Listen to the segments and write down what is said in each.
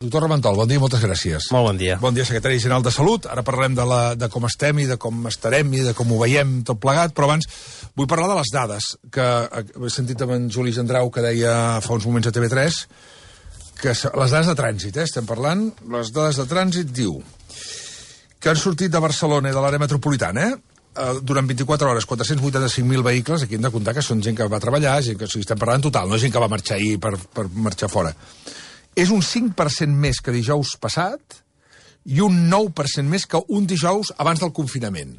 Doctor Reventol, bon dia i moltes gràcies. Molt bon dia. Bon dia, secretari general de Salut. Ara parlarem de com estem i de com estarem i de com ho veiem tot plegat, però abans vull parlar de les dades, que he sentit amb en Juli Gendrau que deia fa uns moments a TV3, que les dades de trànsit, estem parlant, les dades de trànsit diu que han sortit de Barcelona i de l'àrea metropolitana, durant 24 hores, 485.000 vehicles, aquí hem de comptar que són gent que va treballar, gent que estem parlant en total, no gent que va marxar ahir per marxar fora. És un 5% més que dijous passat i un 9% més que un dijous abans del confinament.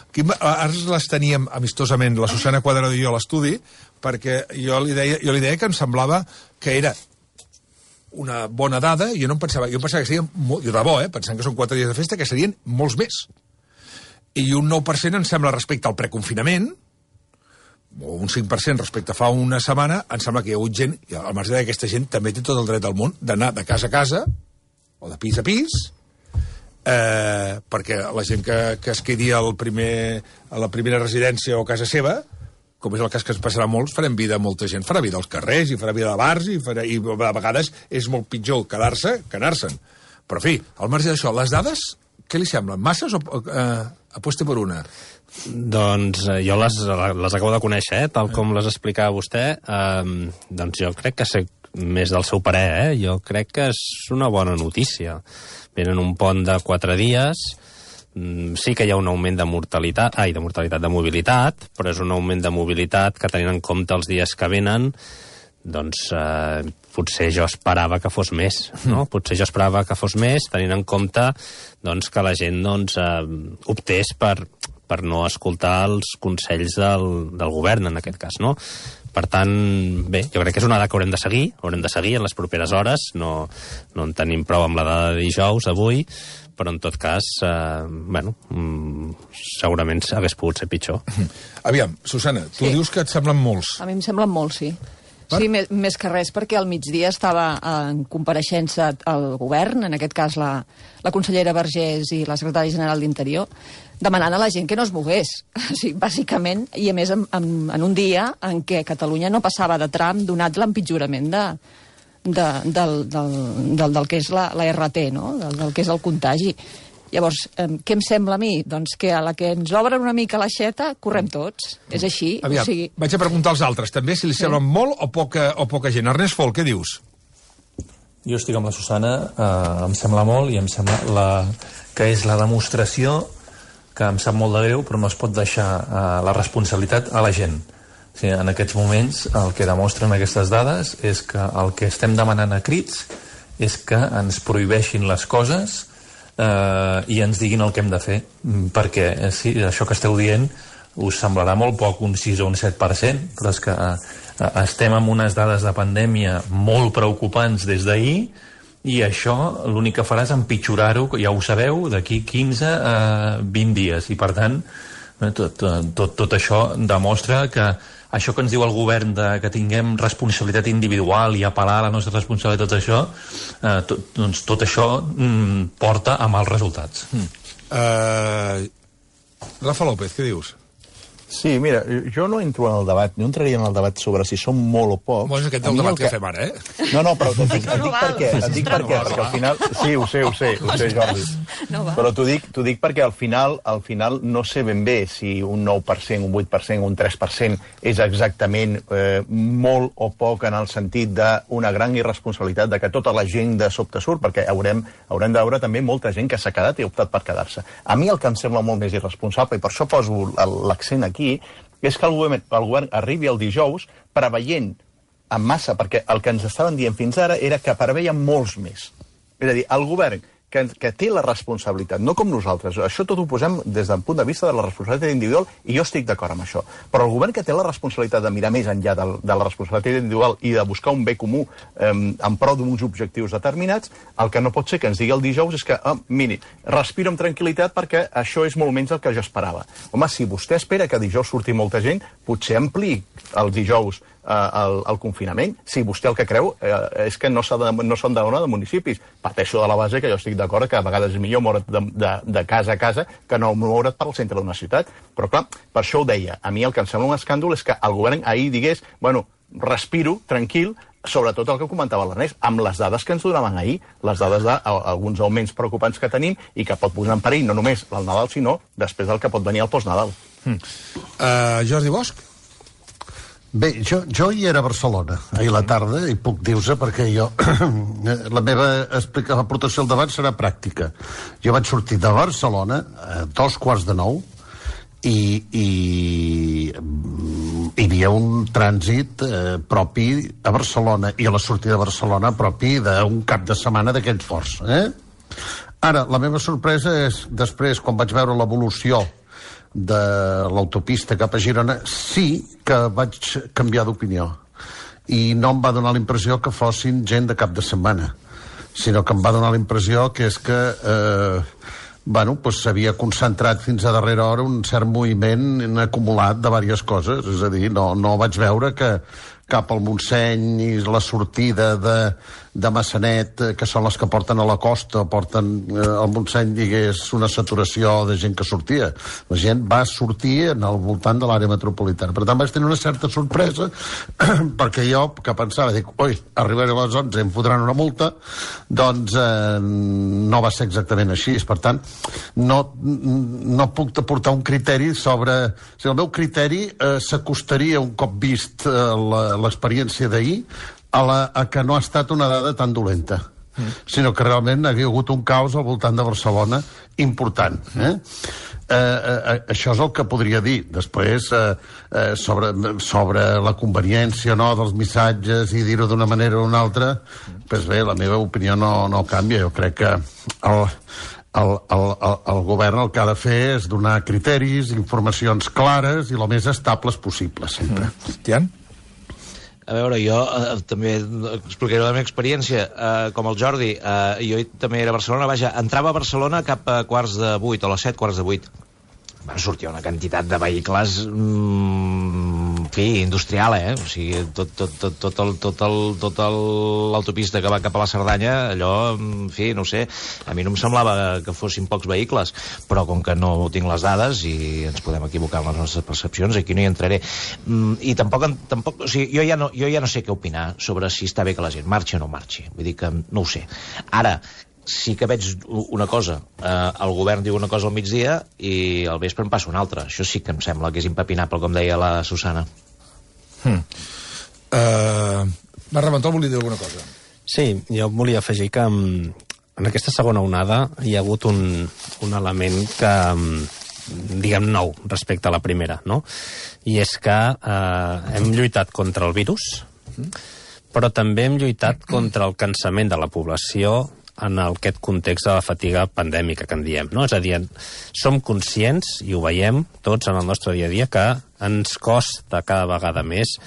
Aquí, ara les teníem amistosament, la Susana Cuadrado i jo a l'estudi, perquè jo li deia que em semblava que era una bona dada, i jo pensava que serien, jo de bo, pensant que són 4 dies de festa, que serien molts més. I un 9% em sembla respecte al preconfinament, o un 5% respecte a fa una setmana, em sembla que hi ha hagut gent, i al marge d'aquesta gent també té tot el dret del món d'anar de casa a casa, o de pis a pis, perquè la gent que es quedi a la primera residència o casa seva, com és el cas que ens passarà molts, farem vida a molta gent, farà vida als carrers, i farà vida a bars, i a vegades és molt pitjor quedar-se que anar-se'n. Però, en fi, al marge d'això, les dades, què li semblen? Masses o aposta per una? Doncs jo les acabo de conèixer, tal com les explicava vostè. Doncs jo crec que sé més del seu parer, Jo crec que és una bona notícia. Venen un pont de 4 dies, sí que hi ha un augment de mortalitat, de mobilitat, però és un augment de mobilitat que tenint en compte els dies que venen, doncs potser jo esperava que fos més, no? Potser jo esperava que fos més, tenint en compte doncs, que la gent optés per no escoltar els consells del govern, en aquest cas, no? Per tant, bé, jo crec que és una dada que haurem de seguir en les properes hores, no en tenim prou amb la dada de dijous, avui, però en tot cas, segurament hagués pogut ser pitjor. Aviam, Susana, tu dius que et semblen molts. A mi em semblen molts, sí. Sí, més que res, perquè al migdia estava en compareixença al govern, en aquest cas la consellera Vergés i la secretària general d'Interior, demanant a la gent que no es mogués, o sigui, bàsicament, i a més en un dia en què Catalunya no passava de tram donat l'empitjorament del que és la RT, no? Del que és el contagi. Llavors, què em sembla a mi? Doncs que a la que ens obren una mica l'aixeta, correm tots. És així. Aviam, vaig a preguntar als altres, també, si li semblen molt o poca gent. Ernest Folk, què dius? Jo estic amb la Susana, em sembla molt, i em sembla que és la demostració que em sap molt de greu, però no es pot deixar la responsabilitat a la gent. O sigui, en aquests moments, el que demostren aquestes dades és que el que estem demanant a crits és que ens prohibeixin les coses i ens diguin el que hem de fer, perquè sí, això que esteu dient us semblarà molt poc, un 6 o un 7%, però és que estem amb unes dades de pandèmia molt preocupants des d'ahir, i això l'únic que farà és empitjorar-ho, ja ho sabeu, d'aquí 15 a 20 dies, i per tant tot això demostra que això que ens diu el govern que tinguem responsabilitat individual i apel·lar a la nostra responsabilitat, tot això, doncs tot això porta a mals resultats. Rafa López, què dius? Sí, mira, jo no entro en el debat, no entraria en el debat sobre si som molt o pocs. Bueno, és aquest el debat que fem ara, No, però et dic per què, perquè al final... Sí, ho sé, Jordi. Però t'ho dic perquè al final no sé ben bé si un 9%, un 8%, un 3% és exactament molt o poc en el sentit d'una gran irresponsabilitat de que tota la gent de sobte surt, perquè haurem de veure també molta gent que s'ha quedat i ha optat per quedar-se. A mi el que em sembla molt més irresponsable, i per això poso l'accent aquí, és que el govern arribi el dijous preveient en massa, perquè el que ens estaven dient fins ara era que preveien molts més. És a dir, el govern que té la responsabilitat, no com nosaltres, això tot ho posem des del punt de vista de la responsabilitat individual, i jo estic d'acord amb això, però el govern que té la responsabilitat de mirar més enllà de la responsabilitat individual i de buscar un bé comú en pro d'uns objectius determinats, el que no pot ser que ens digui el dijous és que, miri, respiro amb tranquil·litat perquè això és molt menys el que jo esperava. Home, si vostè espera que dijous surti molta gent, potser ampliï el dijous el confinament. Si vostè el que creu és que no són de dona de municipis. Parteixo de la base que jo estic d'acord que a vegades és millor moure't de casa a casa que no moure't pel centre d'una ciutat. Però clar, per això ho deia. A mi el que em sembla un escàndol és que el govern ahir digués, bueno, respiro, tranquil, sobretot el que comentava l'Ernest, amb les dades que ens donaven ahir, les dades d'alguns augments preocupants que tenim i que pot posar en perill no només el Nadal, sinó després del que pot venir el postnadal. Jordi Bosch? Bé, jo hi era a Barcelona ahir a la tarda i puc dir-vos perquè jo la meva aportació al debat serà pràctica. Jo vaig sortir de Barcelona a 8:45 i hi havia un trànsit propi a Barcelona i a la sortida de Barcelona propi d'un cap de setmana d'aquells forts. Ara, la meva sorpresa és després, quan vaig veure l'evolució de l'autopista cap a Girona, sí que vaig canviar d'opinió i no em va donar la impressió que fossin gent de cap de setmana, sinó que em va donar la impressió que és que s'havia concentrat fins a darrera hora un cert moviment acumulat de diverses coses, és a dir, no vaig veure que cap al Montseny i la sortida de Massanet, que són les que porten a la costa, porten al Montseny, digués, una saturació de gent que sortia. La gent va sortir al voltant de l'àrea metropolitana. Per tant, vaig tenir una certa sorpresa, perquè jo, que pensava, dic, arribaré a les 11 i em fotran una multa, doncs no va ser exactament així. Per tant, no puc aportar un criteri sobre... O sigui, el meu criteri s'acostaria, un cop vist l'experiència d'ahir, a que no ha estat una dada tan dolenta, sinó que realment hi ha hagut un caos al voltant de Barcelona important. Això és el que podria dir. Després, sobre la conveniència o no dels missatges i dir-ho d'una manera o d'una altra, doncs bé, la meva opinió no canvia. Jo crec que el govern el que ha de fer és donar criteris, informacions clares i el més estables possibles, sempre. Tian? A veure, jo també explicaré la meva experiència. Com el Jordi, jo també era a Barcelona. Vaja, entrava a Barcelona cap a 7:15 o a les 7:15. Van sortir una quantitat de vehicles industrial, o sigui, tot l'autopista que va cap a la Cerdanya, allò, no sé, a mi no em semblava que fossin pocs vehicles, però com que no tinc les dades i ens podem equivocar en les nostres percepcions, aquí no hi entraré. I tampoc, o sigui, jo ja no sé què opinar sobre si està bé que la gent marxi o no marxi, vull dir que no ho sé. Ara, sí que veig una cosa, el govern diu una cosa al migdia i al vespre en passa una altra. Això sí que em sembla que és impepinable, com deia la Susana. Reventol volia dir alguna cosa. Sí, jo volia afegir que en aquesta segona onada hi ha hagut un element que, diguem, nou respecte a la primera, no? I és que hem lluitat contra el virus, però també hem lluitat contra el cansament de la població en aquest context de la fatiga pandèmica que en diem, no? És a dir, som conscients, i ho veiem tots en el nostre dia a dia, que ens costa cada vegada més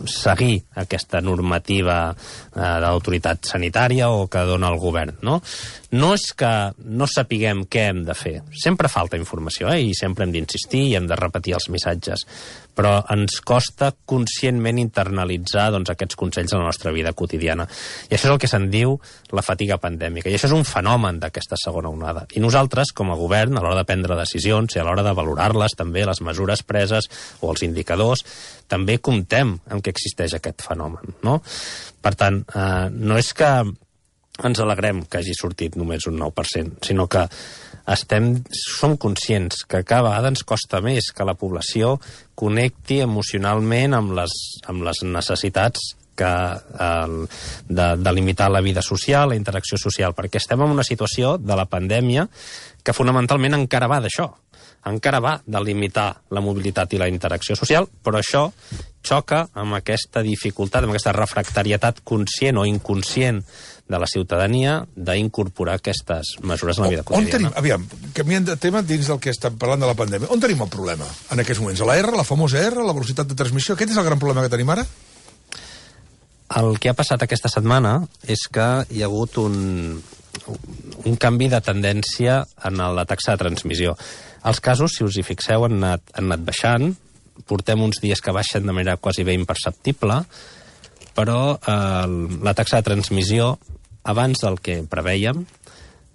seguir aquesta normativa de l'autoritat sanitària o que dona el govern, no? No és que no sapiguem què hem de fer. Sempre falta informació, i sempre hem d'insistir i hem de repetir els missatges, però ens costa conscientment internalitzar aquests consells a la nostra vida quotidiana. I això és el que se'n diu la fatiga pandèmica. I això és un fenomen d'aquesta segona onada. I nosaltres, com a govern, a l'hora de prendre decisions i a l'hora de valorar-les també, les mesures preses o els indicadors, també comptem amb que existeix aquest fenomen, no? Per tant, no és que ens alegrem que hagi sortit només un 9%, sinó que som conscients que cada vegada ens costa més que la població connecti emocionalment amb les necessitats de limitar la vida social, la interacció social, perquè estem en una situació de la pandèmia que fonamentalment encara va d'això. Encara va de limitar la mobilitat i la interacció social, però això xoca amb aquesta dificultat, amb aquesta refractarietat conscient o inconscient de la ciutadania d'incorporar aquestes mesures en la vida quotidiana. Aviam, canviant de tema dins del que estem parlant de la pandèmia, on tenim el problema en aquests moments? A la R, la famosa R, la velocitat de transmissió? Aquest és el gran problema que tenim ara? El que ha passat aquesta setmana és que hi ha hagut un canvi de tendència en la taxa de transmissió. Els casos, si us hi fixeu, han anat baixant. Portem uns dies que baixen de manera quasi bé imperceptible, però la taxa de transmissió, abans del que preveiem,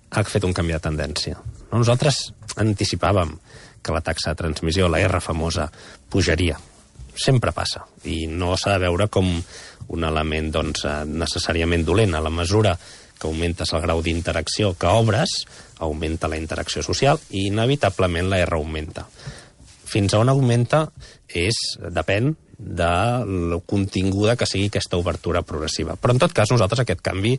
ha fet un canvi de tendència. Nosaltres anticipàvem que la taxa de transmissió, la R famosa, pujaria. Sempre passa. I no s'ha de veure com un element doncs, necessàriament dolent. A la mesura que augmentes el grau d'interacció que obres, augmenta la interacció social i inevitablement la R augmenta. Fins a on augmenta depèn de la continguda que sigui aquesta obertura progressiva. Però en tot cas nosaltres aquest canvi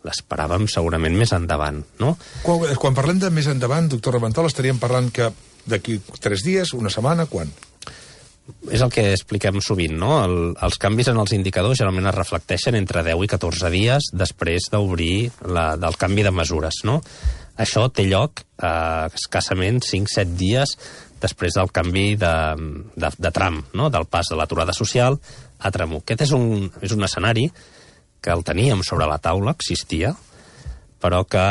l'esperàvem segurament més endavant, no? Quan parlem de més endavant, doctor Raventol, estaríem parlant que d'aquí 3 dies, una setmana, quan? És el que expliquem sovint, no? Els canvis en els indicadors generalment es reflecteixen entre 10 i 14 dies després d'obrir del canvi de mesures, no? Això té lloc escassament 5-7 dies després del canvi de tram, no? Del pas de l'aturada social a tram 1. Aquest és un escenari que el teníem sobre la taula, existia, però que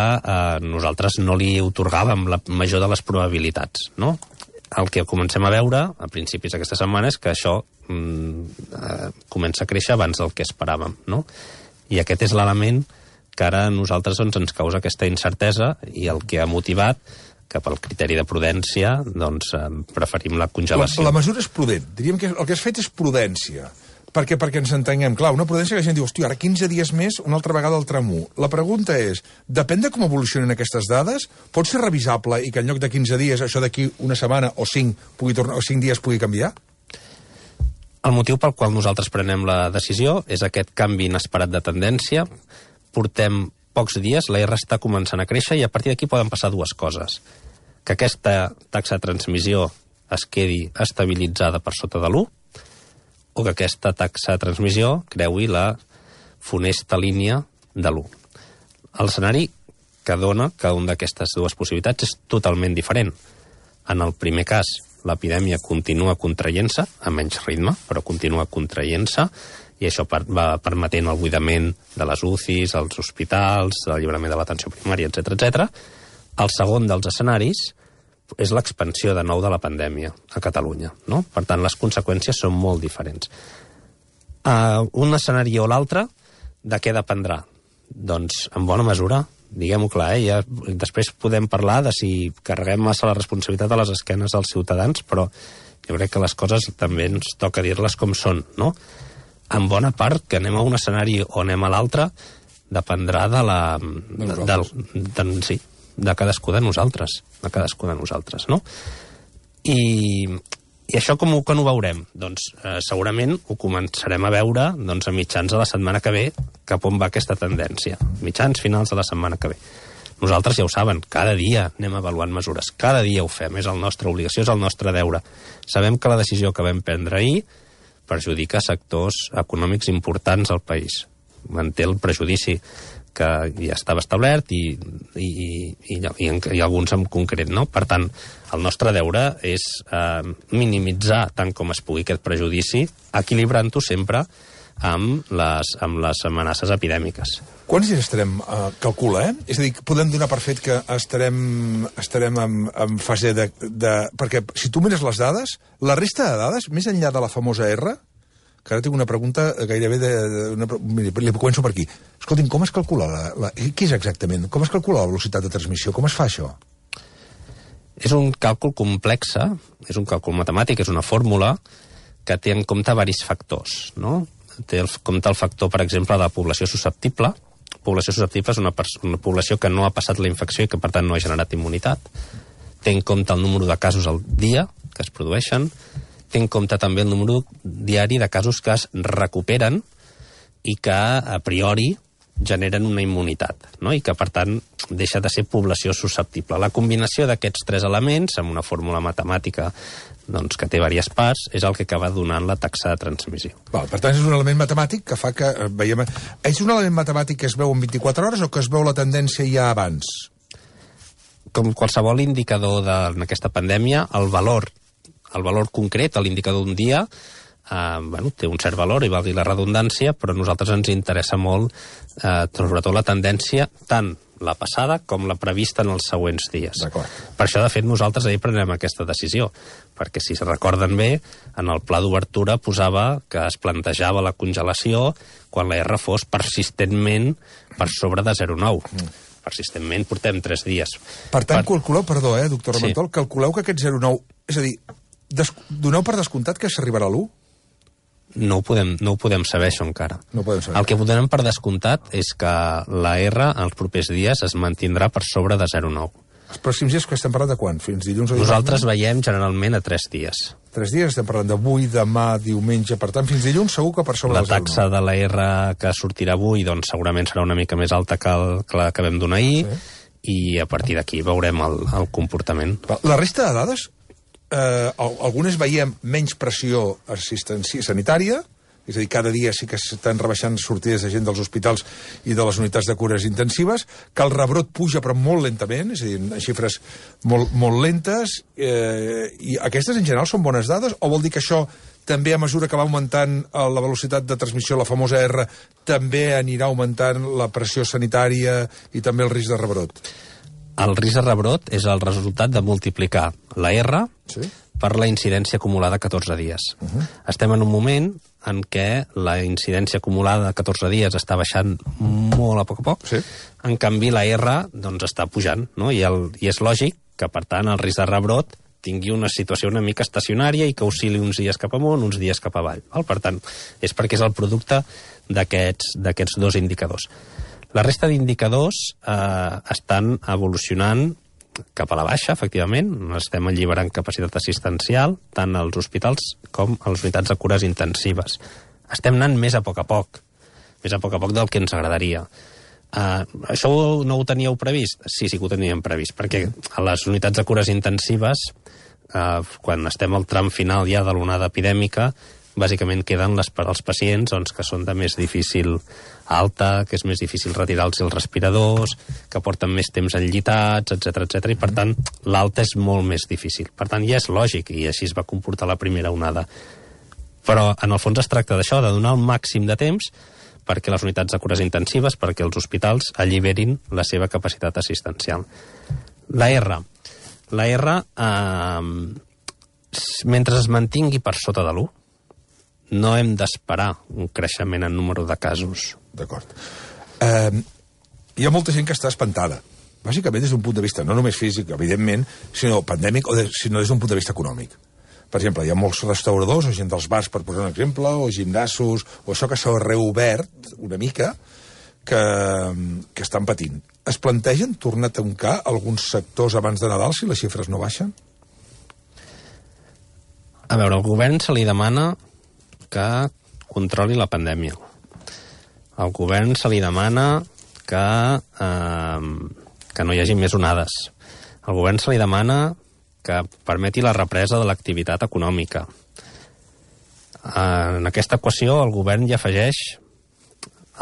nosaltres no li otorgàvem la major de les probabilitats, no? El que comencem a veure a principis d'aquesta setmana és que això comença a créixer abans del que esperàvem, no? I aquest és l'element que ara a nosaltres ens causa aquesta incertesa i el que ha motivat que pel criteri de prudència doncs, preferim la congelació. La mesura és prudent. Diríem que el que has fet és prudència. Perquè ens entenguem. Clar, una prudència que la gent diu, hòstia, ara 15 dies més, una altra vegada al tram 1. La pregunta és, depèn de com evolucionen aquestes dades, pot ser revisable i que en lloc de 15 dies, això d'aquí una setmana o 5 dies pugui canviar? El motiu pel qual nosaltres prenem la decisió és aquest canvi inesperat de tendència. Portem pocs dies, la R està començant a créixer i a partir d'aquí poden passar dues coses. Que aquesta taxa de transmissió es quedi estabilitzada per sota de l'1 o que aquesta taxa de transmissió creui la funesta línia de l'1. L'escenari que dona cada una d'aquestes dues possibilitats és totalment diferent. En el primer cas, l'epidèmia continua contraient-se, a menys ritme, però continua contraient-se, i això va permetent el buidament de les UCIs, els hospitals, l'alliberament de l'atenció primària, etc. El segon dels escenaris és l'expansió de nou de la pandèmia a Catalunya, no? Per tant, les conseqüències són molt diferents. Un escenari o l'altre, de què dependrà? Doncs, en bona mesura, diguem-ho clar, ja després podem parlar de si carreguem massa la responsabilitat a les esquenes dels ciutadans, però jo crec que les coses també ens toca dir-les com són, no? En bona part, que anem a un escenari o anem a l'altre, dependrà de cadascú de nosaltres, no? I això com ho veurem? Doncs segurament ho començarem a veure doncs, a mitjans de la setmana que ve cap on va aquesta tendència. Mitjans, finals de la setmana que ve. Nosaltres ja ho saben, cada dia anem avaluant mesures, cada dia ho fem, és la nostra obligació, és el nostre deure. Sabem que la decisió que vam prendre ahir perjudica sectors econòmics importants al país. Manté el prejudici que ja estava establert i alguns en concret, no? Per tant, el nostre deure és minimitzar tant com es pugui aquest prejudici, equilibrant-ho sempre amb les amenaces epidèmiques. Quants dies estarem, calcula, És a dir, podem donar per fet que estarem en fase de... Perquè si tu mires les dades, la resta de dades, més enllà de la famosa R, que ara tinc una pregunta gairebé li començo per aquí. Escoltin, com es calcula què és exactament? Com es calcula la velocitat de transmissió? Com es fa això? És un càlcul complex, és un càlcul matemàtic, és una fórmula que té en compte varis factors, no? Té en compte el factor, per exemple, de la població susceptible. Població susceptible és una població que no ha passat la infecció i que, per tant, no ha generat immunitat. Té en compte el número de casos al dia que es produeixen. Té en compte també el número diari de casos que es recuperen i que, a priori, generen una immunitat, no? I que, per tant, deixa de ser població susceptible. La combinació d'aquests 3 elements, amb una fórmula matemàtica doncs, que té diverses parts, és el que acaba donant la taxa de transmissió. Per tant, és un element matemàtic que fa que veiem... És un element matemàtic que es veu en 24 hores o que es veu la tendència ja abans? Com qualsevol indicador d'aquesta pandèmia, el valor concret, l'indicador d'un dia, té un cert valor, i valgui la redundància, però a nosaltres ens interessa molt, sobretot la tendència, tant la passada com la prevista en els següents dies. Per això, de fet, nosaltres ahir prenem aquesta decisió, perquè si se recorden bé, en el pla d'obertura posava que es plantejava la congelació quan la R fos persistentment per sobre de 0,9. Persistentment portem 3 dies. Per tant, calculeu, perdó, doctor Raventol, calculeu que aquest 0,9, és a dir, doneu per descomptat que s'arribarà a l'1? No ho podem saber, això, encara. No podem saber. El que donem per descomptat és que la R els propers dies es mantindrà per sobre de 0,9. Els pròxims dies que estem parlant de quan? Fins dilluns o dilluns? Nosaltres veiem generalment a 3 dies. 3 dies, estem parlant d'avui, demà, diumenge, per tant, fins dilluns segur que per sobre la taxa de la R que sortirà avui doncs, segurament serà una mica més alta que la que vam donar ahir, i a partir d'aquí veurem el comportament. La resta de dades, algunes veiem menys pressió sanitària, és a dir, cada dia sí que estan rebaixant sortides de gent dels hospitals i de les unitats de cures intensives, que el rebrot puja però molt lentament, és a dir, en xifres molt lentes, i aquestes en general són bones dades, o vol dir que això també a mesura que va augmentant la velocitat de transmissió, la famosa R, també anirà augmentant la pressió sanitària i també el risc de rebrot? El risc de rebrot és el resultat de multiplicar la R per la incidència acumulada a 14 dies. Estem en un moment en què la incidència acumulada a 14 dies està baixant molt a poc. En canvi, la R doncs, està pujant, no? I és lògic que, per tant, el risc de rebrot tingui una situació una mica estacionària i que oscil·li uns dies cap amunt, uns dies cap avall. Per tant, és perquè és el producte d'aquests dos indicadors. La resta d'indicadors estan evolucionant cap a la baixa, efectivament. Estem alliberant capacitat assistencial, tant als hospitals com a les unitats de cures intensives. Estem anant més a poc del que ens agradaria. Això no ho teníeu previst? Sí que ho teníem previst, perquè a les unitats de cures intensives, quan estem al tram final ja de l'onada epidèmica, bàsicament queden els pacients que són de més difícil alta, que és més difícil retirar-los els respiradors, que porten més temps enllitats, etc. I per tant l'alta és molt més difícil. Per tant ja és lògic, i així es va comportar la primera onada. Però en el fons es tracta d'això, de donar el màxim de temps perquè les unitats de cures intensives, perquè els hospitals alliberin la seva capacitat assistencial. La R, mentre es mantingui per sota de l'1, no hem d'esperar un creixement en número de casos. D'acord. Hi ha molta gent que està espantada, bàsicament des d'un punt de vista no només físic, evidentment, sinó pandèmic, sinó des d'un punt de vista econòmic. Per exemple, hi ha molts restauradors, o gent dels bars, per posar un exemple, o gimnasos, o això que s'ha reobert una mica, que estan patint. Es plantegen tornar a tancar alguns sectors abans de Nadal si les xifres no baixen? A veure, al govern se li demana que controli la pandèmia. Al govern se li demana que no hi hagi més onades. Al govern se li demana que permeti la represa de l'activitat econòmica. En aquesta equació el govern hi afegeix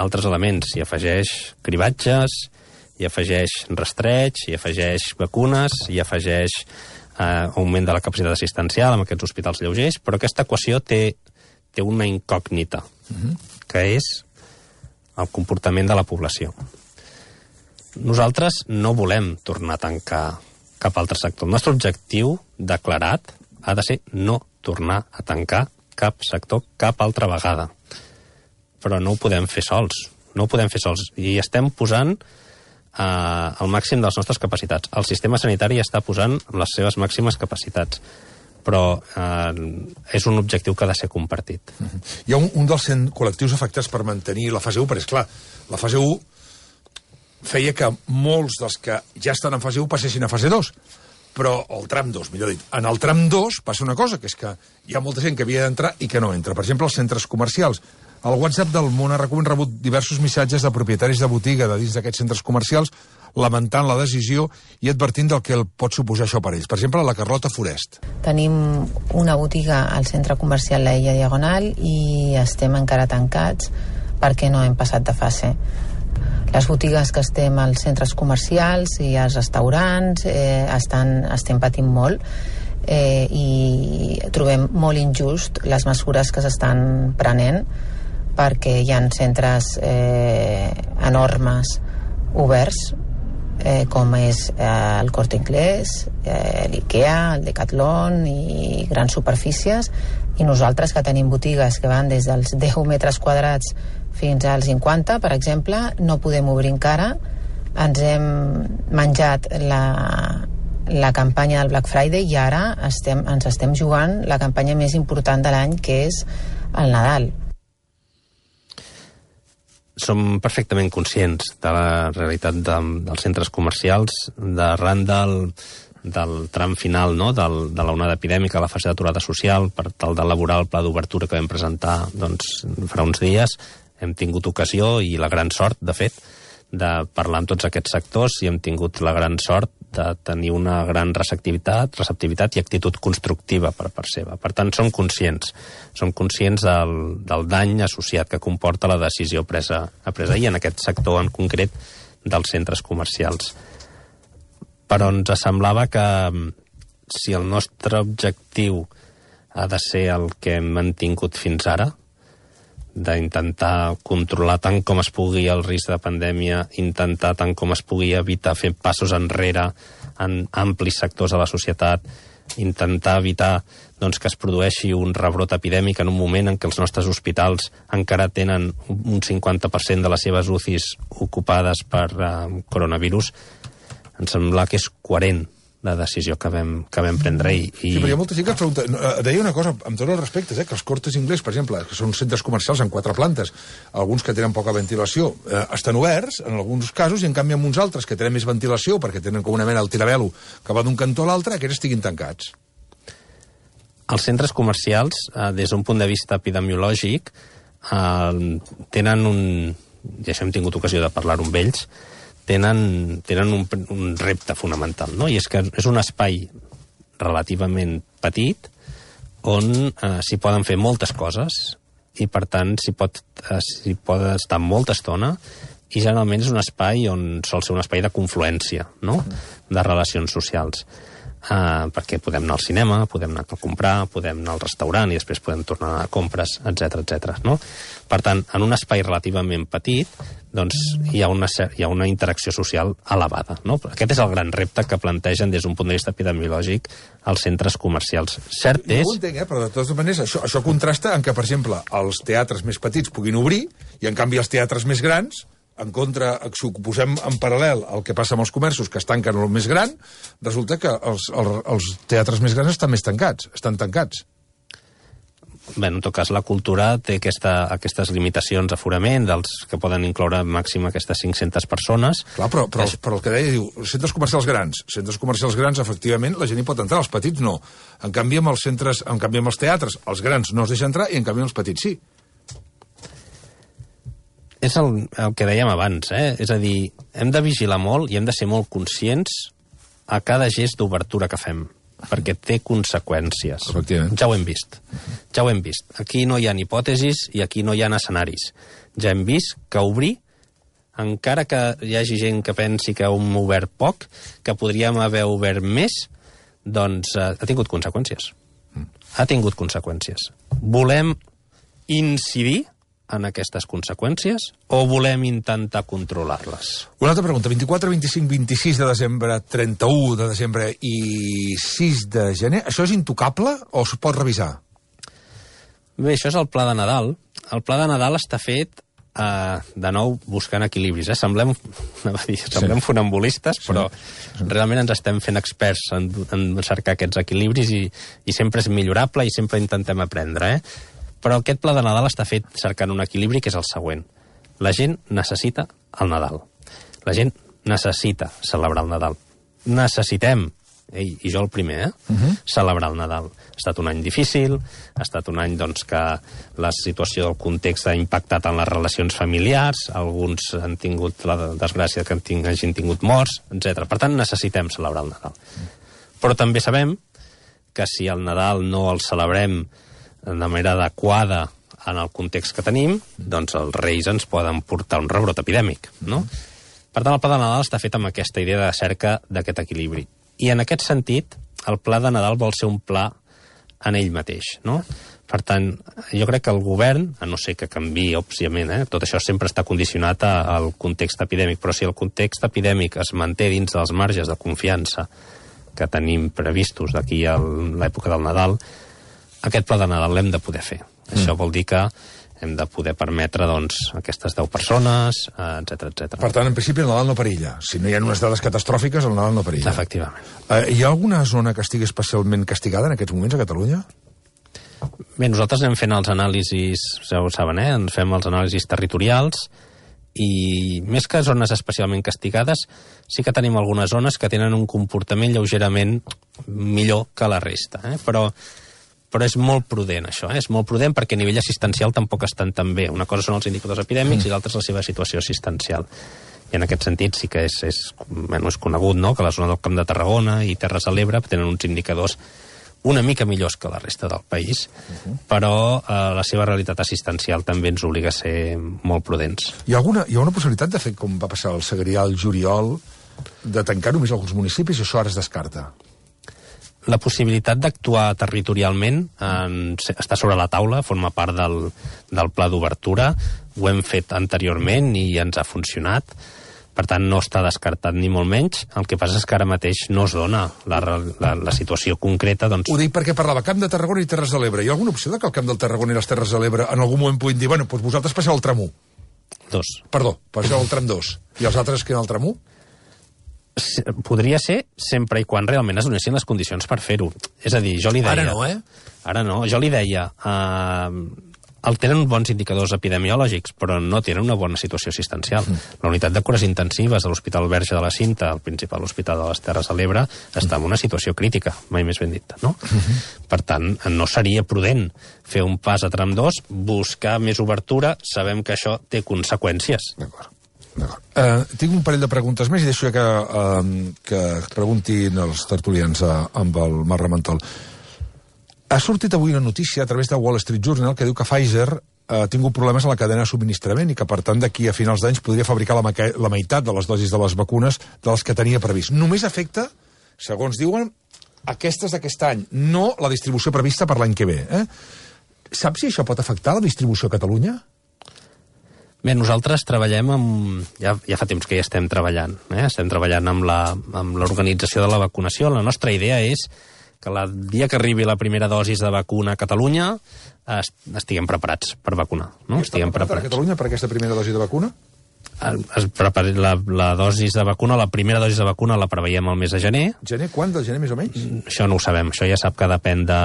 altres elements. Hi afegeix cribatges, hi afegeix rastreig, hi afegeix vacunes, hi afegeix augment de la capacitat assistencial amb aquests hospitals lleugers, però aquesta equació té una incògnita, que és el comportament de la població. Nosaltres no volem tornar a tancar cap altre sector. El nostre objectiu declarat ha de ser no tornar a tancar cap sector cap altra vegada. Però no ho podem fer sols. I estem posant el màxim de les nostres capacitats. El sistema sanitari està posant les seves màximes capacitats, però és un objectiu que ha de ser compartit. Hi ha un dels 100 col·lectius afectats per mantenir la fase 1, perquè, esclar, la fase 1 feia que molts dels que ja estan en fase 1 passessin a fase 2, però el tram 2, millor dit. En el tram 2 passa una cosa, que és que hi ha molta gent que havia d'entrar i que no entra. Per exemple, els centres comercials. Al WhatsApp del Món hem rebut diversos missatges de propietaris de botiga de dins d'aquests centres comercials lamentant la decisió i advertint del que pot suposar això per ells. Per exemple, la Carlota Forest. Tenim una botiga al centre comercial La Illa Diagonal i estem encara tancats perquè no hem passat de fase. Les botigues que estem als centres comercials i als restaurants estem patint molt i trobem molt injust les mesures que s'estan prenent perquè hi ha centres enormes oberts com és el Corte Inglés, l'IKEA, el Decathlon i grans superfícies, i nosaltres que tenim botigues que van des dels 10 metres quadrats fins als 50, per exemple, no podem obrir encara. Ens hem menjat la campanya del Black Friday i ara ens estem jugant la campanya més important de l'any, que és al Nadal. Som perfectament conscients de la realitat dels centres comercials, d'arran del tram final, no?, de l'onada epidèmica, la fase d'aturada social, per tal d'elaborar el pla d'obertura que vam presentar farà uns dies. Hem tingut ocasió i la gran sort, de fet, de parlar amb tots aquests sectors i hem tingut la gran sort de tenir una gran receptivitat i actitud constructiva per part seva. Per tant, som conscients del dany associat que comporta la decisió presa ahir en aquest sector en concret dels centres comercials. Però ens semblava que si el nostre objectiu ha de ser el que hem mantingut fins ara, d'intentar controlar tant com es pugui el risc de pandèmia, intentar tant com es pugui evitar fer passos enrere en amplis sectors de la societat, intentar evitar que es produeixi un rebrot epidèmic en un moment en què els nostres hospitals encara tenen un 50% de les seves UCIs ocupades per coronavirus, ens sembla que és coherent la decisió que vam prendre. Sí, però hi ha molta gent que es pregunta... Deia una cosa, amb tots els respectes, que els Cortes Inglés, per exemple, que són centres comercials amb 4 plantes, alguns que tenen poca ventilació, estan oberts, en alguns casos, i en canvi amb uns altres que tenen més ventilació, perquè tenen com una mena el tirabelo que va d'un cantó a l'altre, aquests estiguin tancats. Els centres comercials, des d'un punt de vista epidemiològic, tenen ja hem tingut ocasió de parlar-ho amb ells, tenen un repte fonamental, no? I és que és un espai relativament petit on s'hi poden fer moltes coses i, per tant, s'hi pot estar molta estona i generalment és un espai on sol ser un espai de confluència, no?, de relacions socials. Perquè podem anar al cinema, podem anar a comprar, podem anar al restaurant i després podem tornar a compres, etc. No? Per tant, en un espai relativament petit, hi ha una interacció social elevada. No? Aquest és el gran repte que plantegen des d'un punt de vista epidemiològic els centres comercials. Cert és... No ho entenc, però de totes maneres això contrasta en que, per exemple, els teatres més petits puguin obrir i, en canvi, els teatres més grans, en contra, si ho posem en paral·lel al que passa amb els comerços que es tanquen el més gran, resulta que els teatres més grans estan tancats. Bé, en tot cas, la cultura té aquestes limitacions d'aforament, dels que poden incloure màxim aquestes 500 persones. Clar, però el que deia, diu, centres comercials grans, efectivament, la gent hi pot entrar, els petits no. En canvi, amb els teatres, els grans no es deixen entrar i, en canvi, els petits sí. És el que dèiem abans, és a dir, hem de vigilar molt i hem de ser molt conscients a cada gest d'obertura que fem, perquè té conseqüències. Ja ho hem vist. Aquí no hi ha hipòtesis i aquí no hi ha escenaris. Ja hem vist que obrir, encara que hi hagi gent que pensi que hem obert poc, que podríem haver obert més, doncs ha tingut conseqüències. Volem incidir en aquestes conseqüències o volem intentar controlar-les? Una altra pregunta. 24, 25, 26 de desembre, 31 de desembre i 6 de gener, això és intocable o es pot revisar? Bé, això és el pla de Nadal. El pla de Nadal està fet, de nou, buscant equilibris. Semblem funambulistes, però realment ens estem fent experts en cercar aquests equilibris i sempre és millorable i sempre intentem aprendre, Però aquest pla de Nadal està fet cercant un equilibri que és el següent. La gent necessita el Nadal. La gent necessita celebrar el Nadal. Necessitem, i jo el primer, celebrar el Nadal. Ha estat un any difícil, ha estat un any que la situació del context ha impactat en les relacions familiars, alguns han tingut la desgràcia que hagin tingut morts, etc. Per tant, necessitem celebrar el Nadal. Però també sabem que si el Nadal no el celebrem de manera adequada en el context que tenim, doncs els reis ens poden portar un rebrot epidèmic, no? Per tant, el pla de Nadal està fet amb aquesta idea de cerca d'aquest equilibri. I en aquest sentit, el pla de Nadal vol ser un pla en ell mateix, no? Per tant, jo crec que el govern, a no ser que canviï, òbviament, tot això sempre està condicionat al context epidèmic, però si el context epidèmic es manté dins dels marges de confiança que tenim previstos d'aquí a l'època del Nadal, aquest pla de Nadal l'hem de poder fer. Això vol dir que hem de poder permetre aquestes 10 persones, etc. Per tant, en principi, el Nadal no perilla. Si no hi ha unes dades catastròfiques, el Nadal no perilla. Efectivament. Hi ha alguna zona que estigui especialment castigada en aquests moments a Catalunya? Bé, nosaltres anem fent els anàlisis, ja ho saben, ens fem els anàlisis territorials i més que zones especialment castigades, sí que tenim algunes zones que tenen un comportament lleugerament millor que la resta, però és molt prudent, això, és molt prudent perquè a nivell assistencial tampoc estan tan bé. Una cosa són els indicadors epidèmics i l'altra és la seva situació assistencial. I en aquest sentit sí que és conegut, no?, que la zona del Camp de Tarragona i Terres de l'Ebre tenen uns indicadors una mica millors que la resta del país, però la seva realitat assistencial també ens obliga a ser molt prudents. Hi ha una possibilitat de fer, com va passar al Segrià, al Juliol, de tancar només alguns municipis, i això ara es descarta? La possibilitat d'actuar territorialment està sobre la taula, forma part del pla d'obertura, ho hem fet anteriorment i ens ha funcionat. Per tant, no està descartat ni molt menys. El que passa és que ara mateix no es dona la situació concreta. Doncs... Ho dic perquè parlava Camp de Tarragona i Terres de l'Ebre. Hi ha alguna opció que el Camp del Tarragona i les Terres de l'Ebre en algun moment puguin dir, bueno, doncs vosaltres passeu al tram 1? 2. Perdó, passeu al tram 2. I els altres queden al tram 1? Podria ser sempre i quan realment es donessin les condicions per fer-ho. És a dir, jo li deia... Ara no, Ara no. Jo li deia... tenen bons indicadors epidemiològics, però no tenen una bona situació assistencial. La unitat de cures intensives de l'Hospital Verge de la Cinta, el principal hospital de les Terres de l'Ebre, està en una situació crítica, mai més ben dit, no? Per tant, no seria prudent fer un pas a tram 2, buscar més obertura, sabem que això té conseqüències. D'acord. Tinc un parell de preguntes més i deixo que preguntin els tertulians amb el Marc Ramentol. Ha sortit avui una notícia a través de Wall Street Journal que diu que Pfizer ha tingut problemes a la cadena de subministrament i que, per tant, d'aquí a finals d'anys podria fabricar la meitat de les dosis de les vacunes de les que tenia previst. Només afecta, segons diuen, aquestes d'aquest any, no la distribució prevista per l'any que ve. Saps si això pot afectar la distribució a Catalunya? Bé, nosaltres treballem ja fa temps que hi estem treballant. Estem treballant amb l'organització de la vacunació. La nostra idea és que el dia que arribi la primera dosis de vacuna a Catalunya estiguem preparats per vacunar. No? Estiguem preparats a Catalunya per aquesta primera dosi de vacuna? La dosis de vacuna, la primera dosis de vacuna la preveiem al mes de gener. Gener? Quan? Del gener més o menys? Això no ho sabem. Això ja sap que depèn de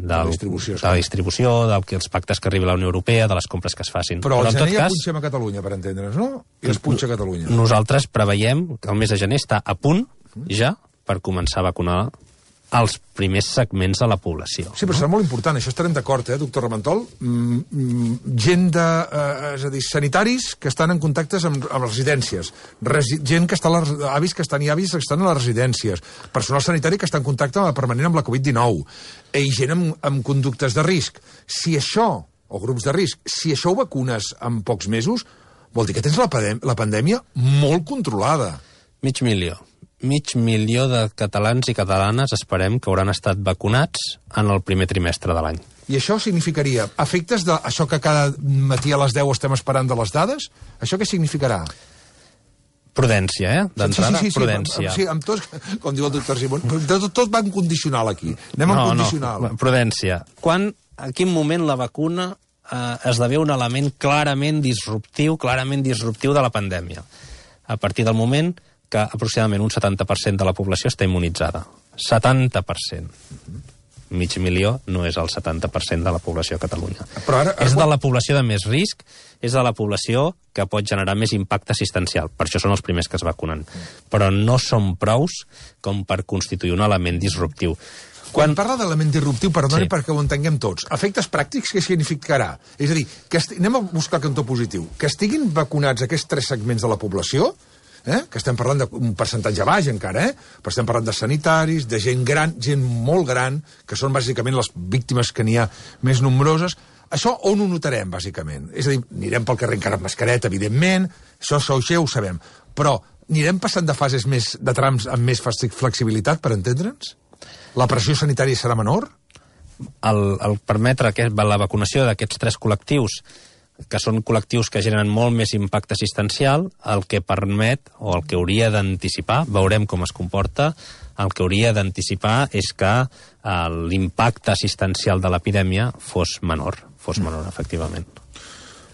la distribució, dels pactes que arribi a la Unió Europea, de les compres que es facin. Però al gener ja punxem a Catalunya, per entendre's, no? I es punxa a Catalunya. Nosaltres preveiem que el mes de gener està a punt ja per començar a vacunar els primers segments de la població. Sí, però serà molt important, això estarem d'acord, doctor Ramentol? Gent és a dir, sanitaris que estan en contactes amb residències, gent que està avis que estan que estan a les residències, personal sanitari que està en contacte permanent amb la Covid-19, i gent amb conductes de risc. Si això, o grups de risc, si això ho vacunes en pocs mesos, vol dir que tens la pandèmia molt controlada. Mig milió de catalans i catalanes esperem que hauran estat vacunats en el primer trimestre de l'any. I això significaria efectes d'això que cada matí a les 10 estem esperant de les dades? Això què significarà? Prudència, d'entrada, sí, prudència. Sí, amb tots, com diu el doctor Simón, tot va en condicional aquí. Anem en condicional. No, prudència. En quin moment la vacuna esdevé un element clarament disruptiu de la pandèmia? A partir del moment que aproximadament un 70% de la població està immunitzada. 70%. Mig milió no és el 70% de la població a Catalunya. És de la població de més risc, és de la població que pot generar més impacte assistencial. Per això són els primers que es vacunen. Però no són prous com per constituir un element disruptiu. Quan parla d'element disruptiu, perdoni perquè ho entenguem tots, efectes pràctics què significarà? És a dir, anem a buscar el cantó positiu. Que estiguin vacunats aquests 3 segments de la població, que estem parlant d'un percentatge baix encara, però estem parlant de sanitaris, de gent gran, gent molt gran, que són bàsicament les víctimes que n'hi ha més nombroses. Això on ho notarem, bàsicament? És a dir, anirem pel carrer encara amb mascareta, evidentment, això ho sabem, però anirem passant de fases de trams amb més flexibilitat, per entendre'ns? La pressió sanitària serà menor? El permetre la vacunació d'aquests 3 col·lectius, que són col·lectius que generen molt més impacte assistencial, el que permet, o el que hauria d'anticipar, veurem com es comporta, el que hauria d'anticipar és que l'impacte assistencial de l'epidèmia fos menor, efectivament.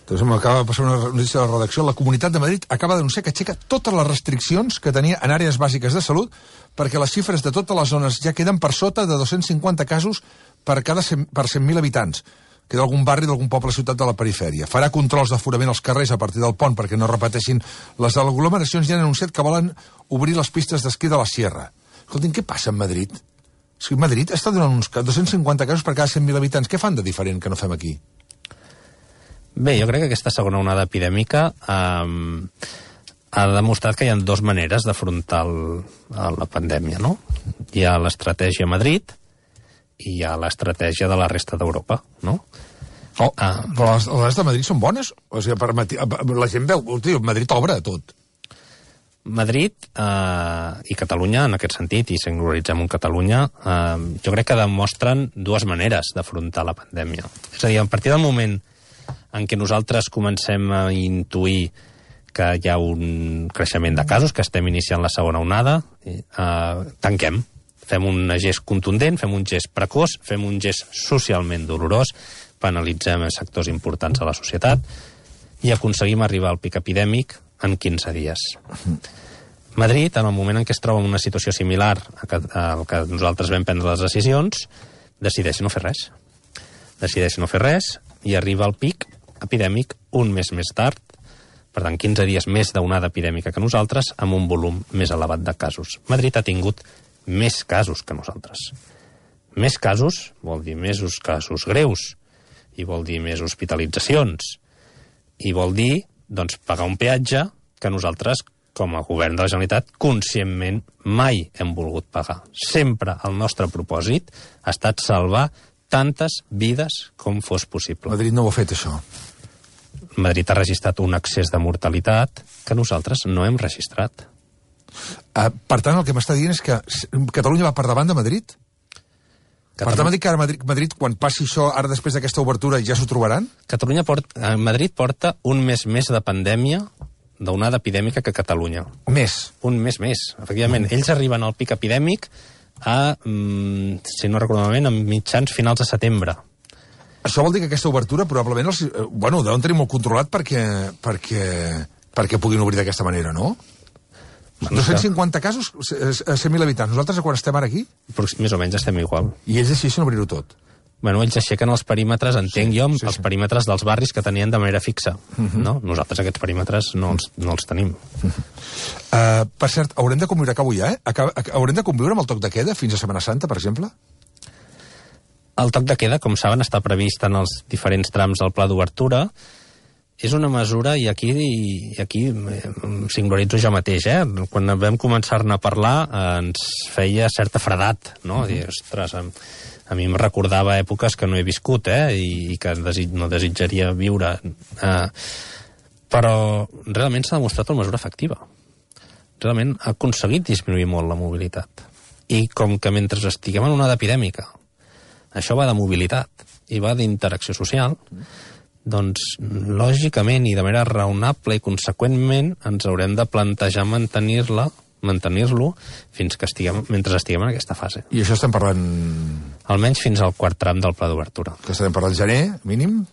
Doncs m'acaba de passar una notícia de la redacció. La Comunitat de Madrid acaba d'anunciar que aixeca totes les restriccions que tenia en àrees bàsiques de salut perquè les xifres de totes les zones ja queden per sota de 250 casos per 100.000 habitants. Queda algun barri d'algun poble o ciutat de la perifèria. Farà controls d'aforament als carrers a partir del pont perquè no repeteixin les aglomeracions i han anunciat que volen obrir les pistes d'esquí de la Sierra. Escoltin, què passa amb Madrid? És que Madrid està donant uns 250 casos per cada 100.000 habitants. Què fan de diferent que no fem aquí? Bé, jo crec que aquesta segona onada epidèmica ha demostrat que hi ha dues maneres d'afrontar la pandèmia, no? Hi ha l'estratègia Madrid i hi ha l'estratègia de la resta d'Europa, no? Però les de Madrid són bones? O sigui, la gent veu... Madrid obre tot. Madrid i Catalunya, en aquest sentit, i singularitzem en Catalunya, jo crec que demostren dues maneres d'afrontar la pandèmia. És a dir, a partir del moment en què nosaltres comencem a intuir que hi ha un creixement de casos, que estem iniciant la segona onada, tanquem. Fem un gest contundent, fem un gest precoç, fem un gest socialment dolorós, penalitzem sectors importants de la societat i aconseguim arribar al pic epidèmic en 15 dies. Madrid, en el moment en què es troba en una situació similar al que nosaltres vam prendre les decisions, decideix no fer res. Decideix no fer res i arriba al pic epidèmic un mes més tard, per tant 15 dies més d'onada epidèmica que nosaltres, amb un volum més elevat de casos. Madrid ha tingut més casos que nosaltres. Més casos vol dir més casos greus, i vol dir més hospitalitzacions, i vol dir, doncs, pagar un peatge que nosaltres, com a govern de la Generalitat, conscientment mai hem volgut pagar. Sempre el nostre propòsit ha estat salvar tantes vides com fos possible. Madrid no ho ha fet, això. Madrid ha registrat un excés de mortalitat que nosaltres no hem registrat. Per tant, el que m'està dient és que Catalunya va per davant de Madrid? Per tant, m'ha dit que ara Madrid, quan passi això, ara després d'aquesta obertura, ja s'ho trobaran? Madrid porta un mes més de pandèmia, d'onada epidèmica, que Catalunya. Més? Un mes més, efectivament. Ells arriben al pic epidèmic si no recordo malament, a mitjans finals de setembre. Això vol dir que aquesta obertura probablement deuen tenir molt controlat perquè puguin obrir d'aquesta manera, no? 250 casos a 100.000 habitants. Nosaltres, quan estem ara aquí? Més o menys estem igual. I ells decideixen obrir-ho tot? Bueno, ells aixequen els perímetres, entenc jo, els perímetres dels barris que tenien de manera fixa. No? Nosaltres aquests perímetres no els tenim. Per cert, haurem de conviure, acabo ja, haurem de conviure amb el toc de queda fins a Setmana Santa, per exemple? El toc de queda, com saben, està previst en els diferents trams del pla d'obertura. És una mesura, i aquí singularitzo jo mateix, quan vam començar-ne a parlar ens feia certa fredat, no? Dir, ostres, a mi em recordava èpoques que no he viscut, i que no desitjaria viure. Però realment s'ha demostrat una mesura efectiva. Realment ha aconseguit disminuir molt la mobilitat. I com que mentre estiguem en una epidèmica això va de mobilitat i va d'interacció social, doncs, lògicament i de manera raonable i conseqüentment ens haurem de plantejar mantenir-lo mentre estiguem en aquesta fase. I això estem parlant... Almenys fins al quart tram del pla d'obertura. Que estem parlant gener, mínim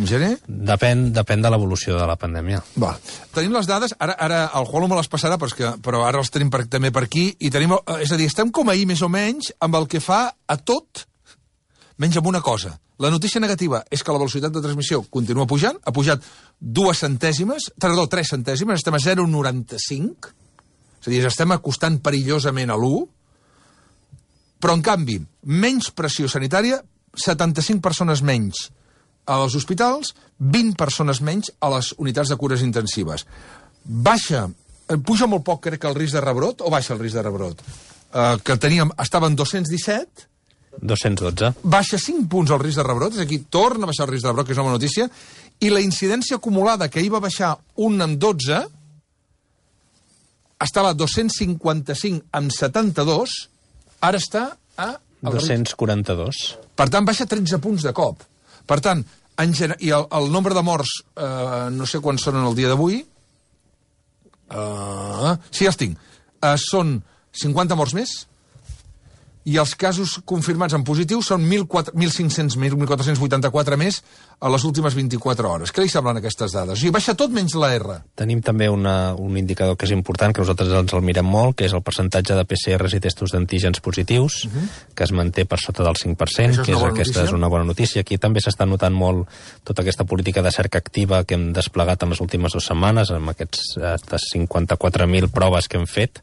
gener? Depèn de l'evolució de la pandèmia. Va. Tenim les dades, ara el Juanlo me les passarà, però ara els tenim també per aquí, i tenim, és a dir, estem com ahir més o menys amb el que fa a tot, menys amb una cosa. La notícia negativa és que la velocitat de transmissió continua pujant, ha pujat 3 centèsimes, estem a 0,95, és a dir, estem acostant perillosament a l'1, però en canvi, menys pressió sanitària, 75 persones menys als hospitals, 20 persones menys a les unitats de cures intensives. Puja molt poc, crec, el risc de rebrot, o baixa el risc de rebrot? Que estava en 217, 212. Baixa 5 punts el risc de rebrot, és aquí, torna a baixar el risc de rebrot, que és una bona notícia, i la incidència acumulada, que ahir va baixar 1 amb 12, estava a 255 amb 72, ara està a... 242. Per tant, baixa 13 punts de cop. Per tant, i el nombre de morts, no sé quants són en el dia d'avui, sí, els tinc, són 50 morts més, i els casos confirmats en positiu són 1.484 més a les últimes 24 hores. Què li semblen aquestes dades? O sigui, baixa tot menys la R. Tenim també un indicador que és important, que nosaltres ens el mirem molt, que és el percentatge de PCRs i testos d'antígens positius, que es manté per sota del 5%, aquesta és una bona notícia. Aquí també s'està notant molt tota aquesta política de cerca activa que hem desplegat en les últimes 2 setmanes, amb aquests 54.000 proves que hem fet,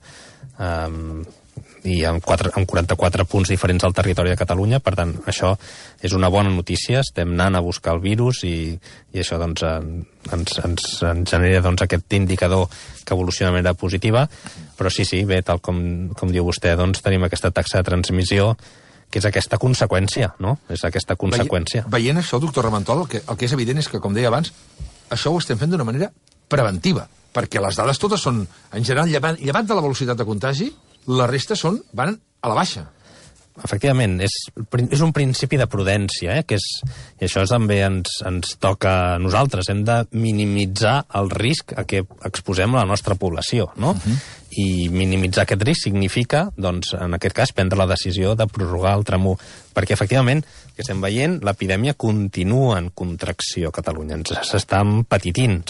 i amb 44 punts diferents al territori de Catalunya. Per tant, això és una bona notícia. Estem anant a buscar el virus i això doncs, ens genera doncs, aquest indicador que evoluciona de manera positiva. Però sí, bé, tal com diu vostè, doncs, tenim aquesta taxa de transmissió, que és aquesta conseqüència, no? És aquesta conseqüència. Veient això, doctor Ramentol, el que és evident és que, com deia abans, això ho estem fent d'una manera preventiva, perquè les dades totes són, en general, llevat de la velocitat de contagi, la resta van a la baixa. Efectivament, és un principi de prudència, i això també ens toca a nosaltres. Hem de minimitzar el risc a què exposem la nostra població, no? I minimitzar aquest risc significa, doncs, en aquest cas, prendre la decisió de prorrogar el tram 1, perquè, efectivament, que estem veient, l'epidèmia continua en contracció a Catalunya. S'està empetitint.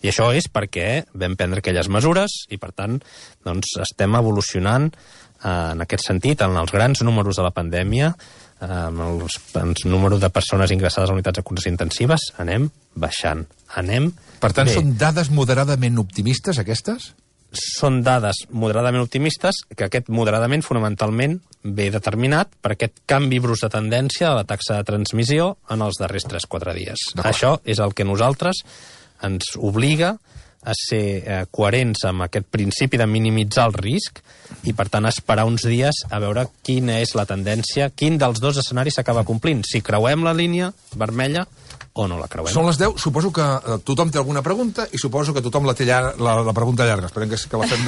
I això és perquè vam prendre aquelles mesures i, per tant, doncs, estem evolucionant en aquest sentit, en els grans números de la pandèmia, en el número de persones ingressades a unitats de cures intensives, anem baixant. Per tant, bé. Són dades moderadament optimistes, aquestes? Són dades moderadament optimistes, que aquest moderadament, fonamentalment, ve determinat per aquest canvi brusc de tendència de la taxa de transmissió en els darrers 3-4 dies. Això és el que nosaltres ens obliga a ser coherents amb aquest principi de minimitzar el risc i, per tant, esperar uns dies a veure quina és la tendència, quin dels dos escenaris s'acaba complint, si creuem la línia vermella o no la creuem. Són les 10, suposo que tothom té alguna pregunta i suposo que tothom la té la pregunta llarga. Esperem que la fem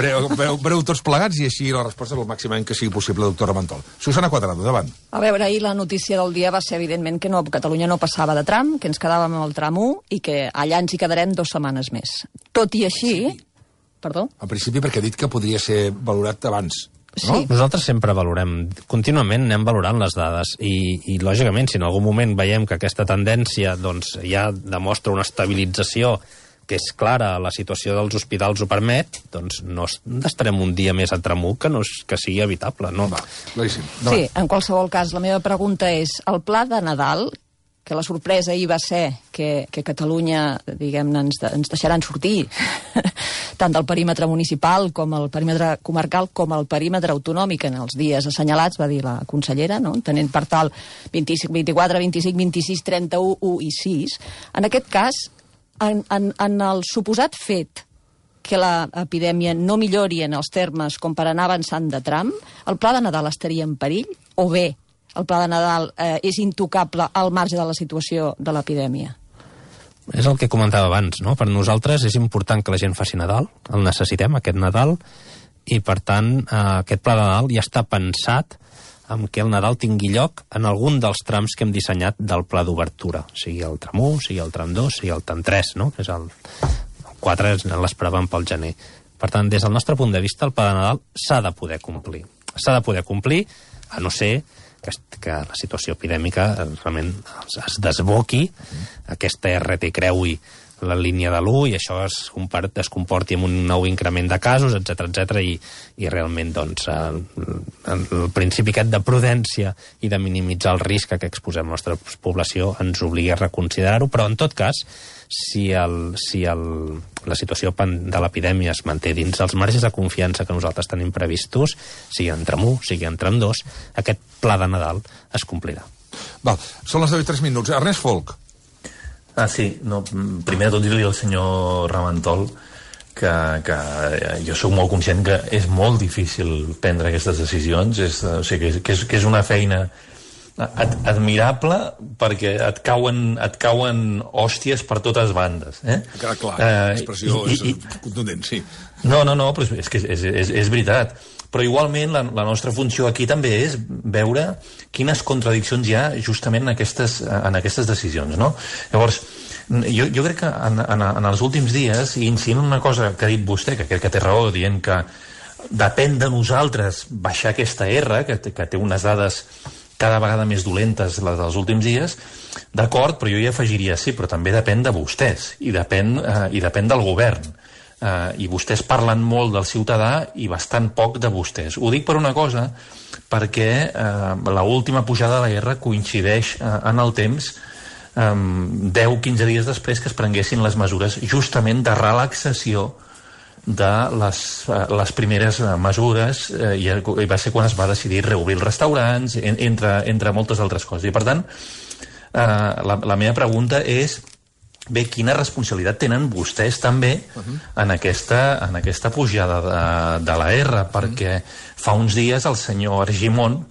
breu tots plegats i així la resposta és el màximament que sigui possible, doctor Ramentol. Susana Cuadrado, davant. A veure, ahir la notícia del dia va ser, evidentment, que Catalunya no passava de tram, que ens quedàvem al tram 1 i que allà ens hi quedarem 2 setmanes més. Tot i així... Perdó? Al principi perquè ha dit que podria ser valorat abans. Sí. No? Nosaltres sempre valorem, contínuament anem valorant les dades i lògicament, si en algun moment veiem que aquesta tendència doncs, ja demostra una estabilització que és clara, la situació dels hospitals ho permet, doncs no estarem un dia més a tram 1 que sigui evitable. No? Sí, en qualsevol cas, la meva pregunta és, el pla de Nadal, que la sorpresa ahir va ser que Catalunya, diguem-ne, ens deixaran sortir tant del perímetre municipal com el perímetre comarcal com el perímetre autonòmic en els dies assenyalats, va dir la consellera, no? Tenint per tal 25, 24, 25, 26, 31, 1 i 6. En aquest cas, en el suposat fet que l'epidèmia no millori en els termes com per anar avançant de tram, el pla de Nadal estaria en perill o bé el pla de Nadal és intocable al marge de la situació de l'epidèmia? És el que comentava abans, no? Per nosaltres és important que la gent faci Nadal, el necessitem, aquest Nadal, i per tant aquest pla de Nadal ja està pensat en què el Nadal tingui lloc en algun dels trams que hem dissenyat del pla d'obertura, sigui el tram 1, sigui el tram 2, sigui el tram 3, no? És el 4 l'esperàvem pel gener. Per tant, des del nostre punt de vista, el pla de Nadal s'ha de poder complir. S'ha de poder complir, a no ser que la situació epidèmica realment es desboqui, aquesta RT creui la línia de l'1 i això es comporti amb un nou increment de casos, etc i realment doncs, el principi aquest de prudència i de minimitzar el risc a què exposem la nostra població ens obliga a reconsiderar-ho, però en tot cas, si la situació de l'epidèmia es manté dins els marges de confiança que nosaltres tenim previstos, sigui en tram 1, sigui en tram 2, aquest pla de Nadal es complirà. Val, són les 10 i 3 minuts. Ernest Folk. Sí, no, primer de tot dir-li al senyor Ramentol que jo sóc molt conscient que és molt difícil prendre aquestes decisions, o sigui, que és una feina admirable perquè et cauen hòsties per totes bandes. Clar, l'expressió és contundent, sí. No, però és que és veritat. Però igualment la nostra funció aquí també és veure quines contradiccions hi ha justament en aquestes decisions, no? Llavors, jo crec que en els últims dies, i incidint en una cosa que ha dit vostè, que crec que té raó, dient que depèn de nosaltres baixar aquesta R, que té unes dades cada vegada més dolentes les dels últims dies, d'acord, però jo hi afegiria sí, però també depèn de vostès i depèn del govern. I vostès parlen molt del ciutadà i bastant poc de vostès. Ho dic per una cosa, perquè l'última pujada de la R coincideix en el temps 10-15 dies després que es prenguessin les mesures justament de relaxació de les primeres mesures i va ser quan es va decidir reobrir els restaurants, entre moltes altres coses. I per tant, la meva pregunta és bé, quina responsabilitat tenen vostès també en aquesta pujada de la R, perquè fa uns dies el senyor Argimon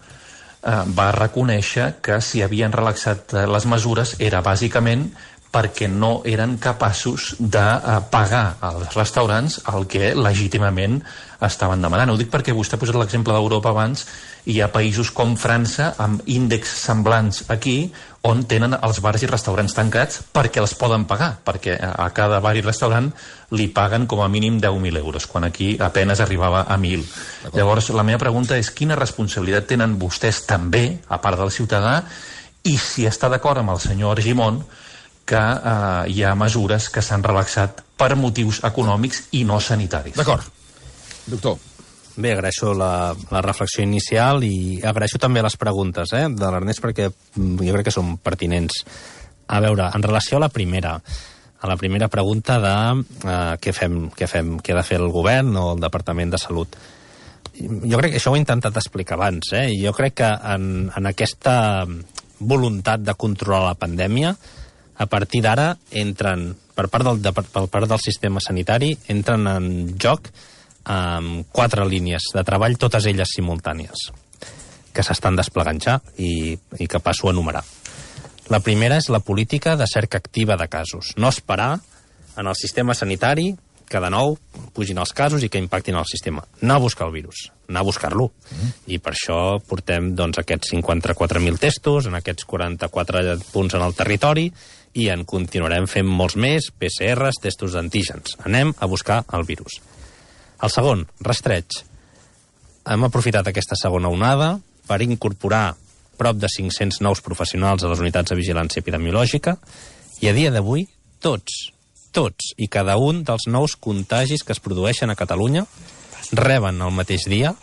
va reconèixer que si havien relaxat les mesures era bàsicament perquè no eren capaços de pagar als restaurants el que legítimament estaven demanant. Ho dic perquè vostè ha posat l'exemple d'Europa abans, i hi ha països com França amb índexs semblants aquí on tenen els bars i restaurants tancats perquè els poden pagar, perquè a cada bar i restaurant li paguen com a mínim 10.000 euros, quan aquí apenas arribava a 1.000. Llavors, la meva pregunta és quina responsabilitat tenen vostès també, a part del ciutadà, i si està d'acord amb el senyor Argimon que hi ha mesures que s'han relaxat per motius econòmics i no sanitaris. D'acord. Doctor. Bé, agraeixo la reflexió inicial i agraeixo també les preguntes de l'Ernest, perquè jo crec que són pertinents. A veure, en relació a la primera pregunta de què ha de fer el govern o el Departament de Salut. Jo crec que això ho he intentat explicar abans. Jo crec que en aquesta voluntat de controlar la pandèmia, a partir d'ara entren, per part del sistema sanitari, entren en joc 4 línies de treball, totes elles simultànies, que s'estan desplegant ja i que passo a enumerar. La primera és la política de cerca activa de casos. No esperar en el sistema sanitari que de nou pugin els casos i que impactin el sistema. Anar a buscar el virus, anar a buscar-lo. I per això portem aquests 54.000 testos, en aquests 44 punts en el territori, i en continuarem fent molts més, PCRs, testos d'antígens. Anem a buscar el virus. El segon, rastreig. Hem aprofitat aquesta segona onada per incorporar prop de 500 nous professionals a les unitats de vigilància epidemiològica i a dia d'avui tots i cada un dels nous contagis que es produeixen a Catalunya reben el mateix dia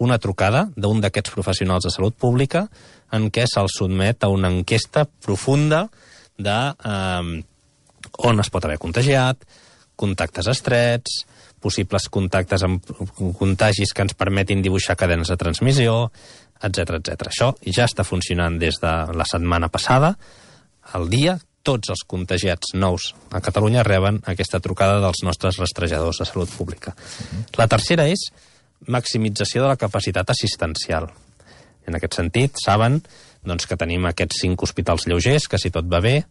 una trucada d'un d'aquests professionals de salut pública en què se'ls sotmet a una enquesta profunda de on es pot haver contagiat, contactes estrets, possibles contactes amb contagis que ens permetin dibuixar cadenes de transmissió, etc. Això ja està funcionant des de la setmana passada. Al dia, tots els contagiats nous a Catalunya reben aquesta trucada dels nostres rastrejadors de salut pública. La tercera és maximització de la capacitat assistencial. En aquest sentit, saben que tenim aquests 5 hospitals lleugers que, si tot va bé,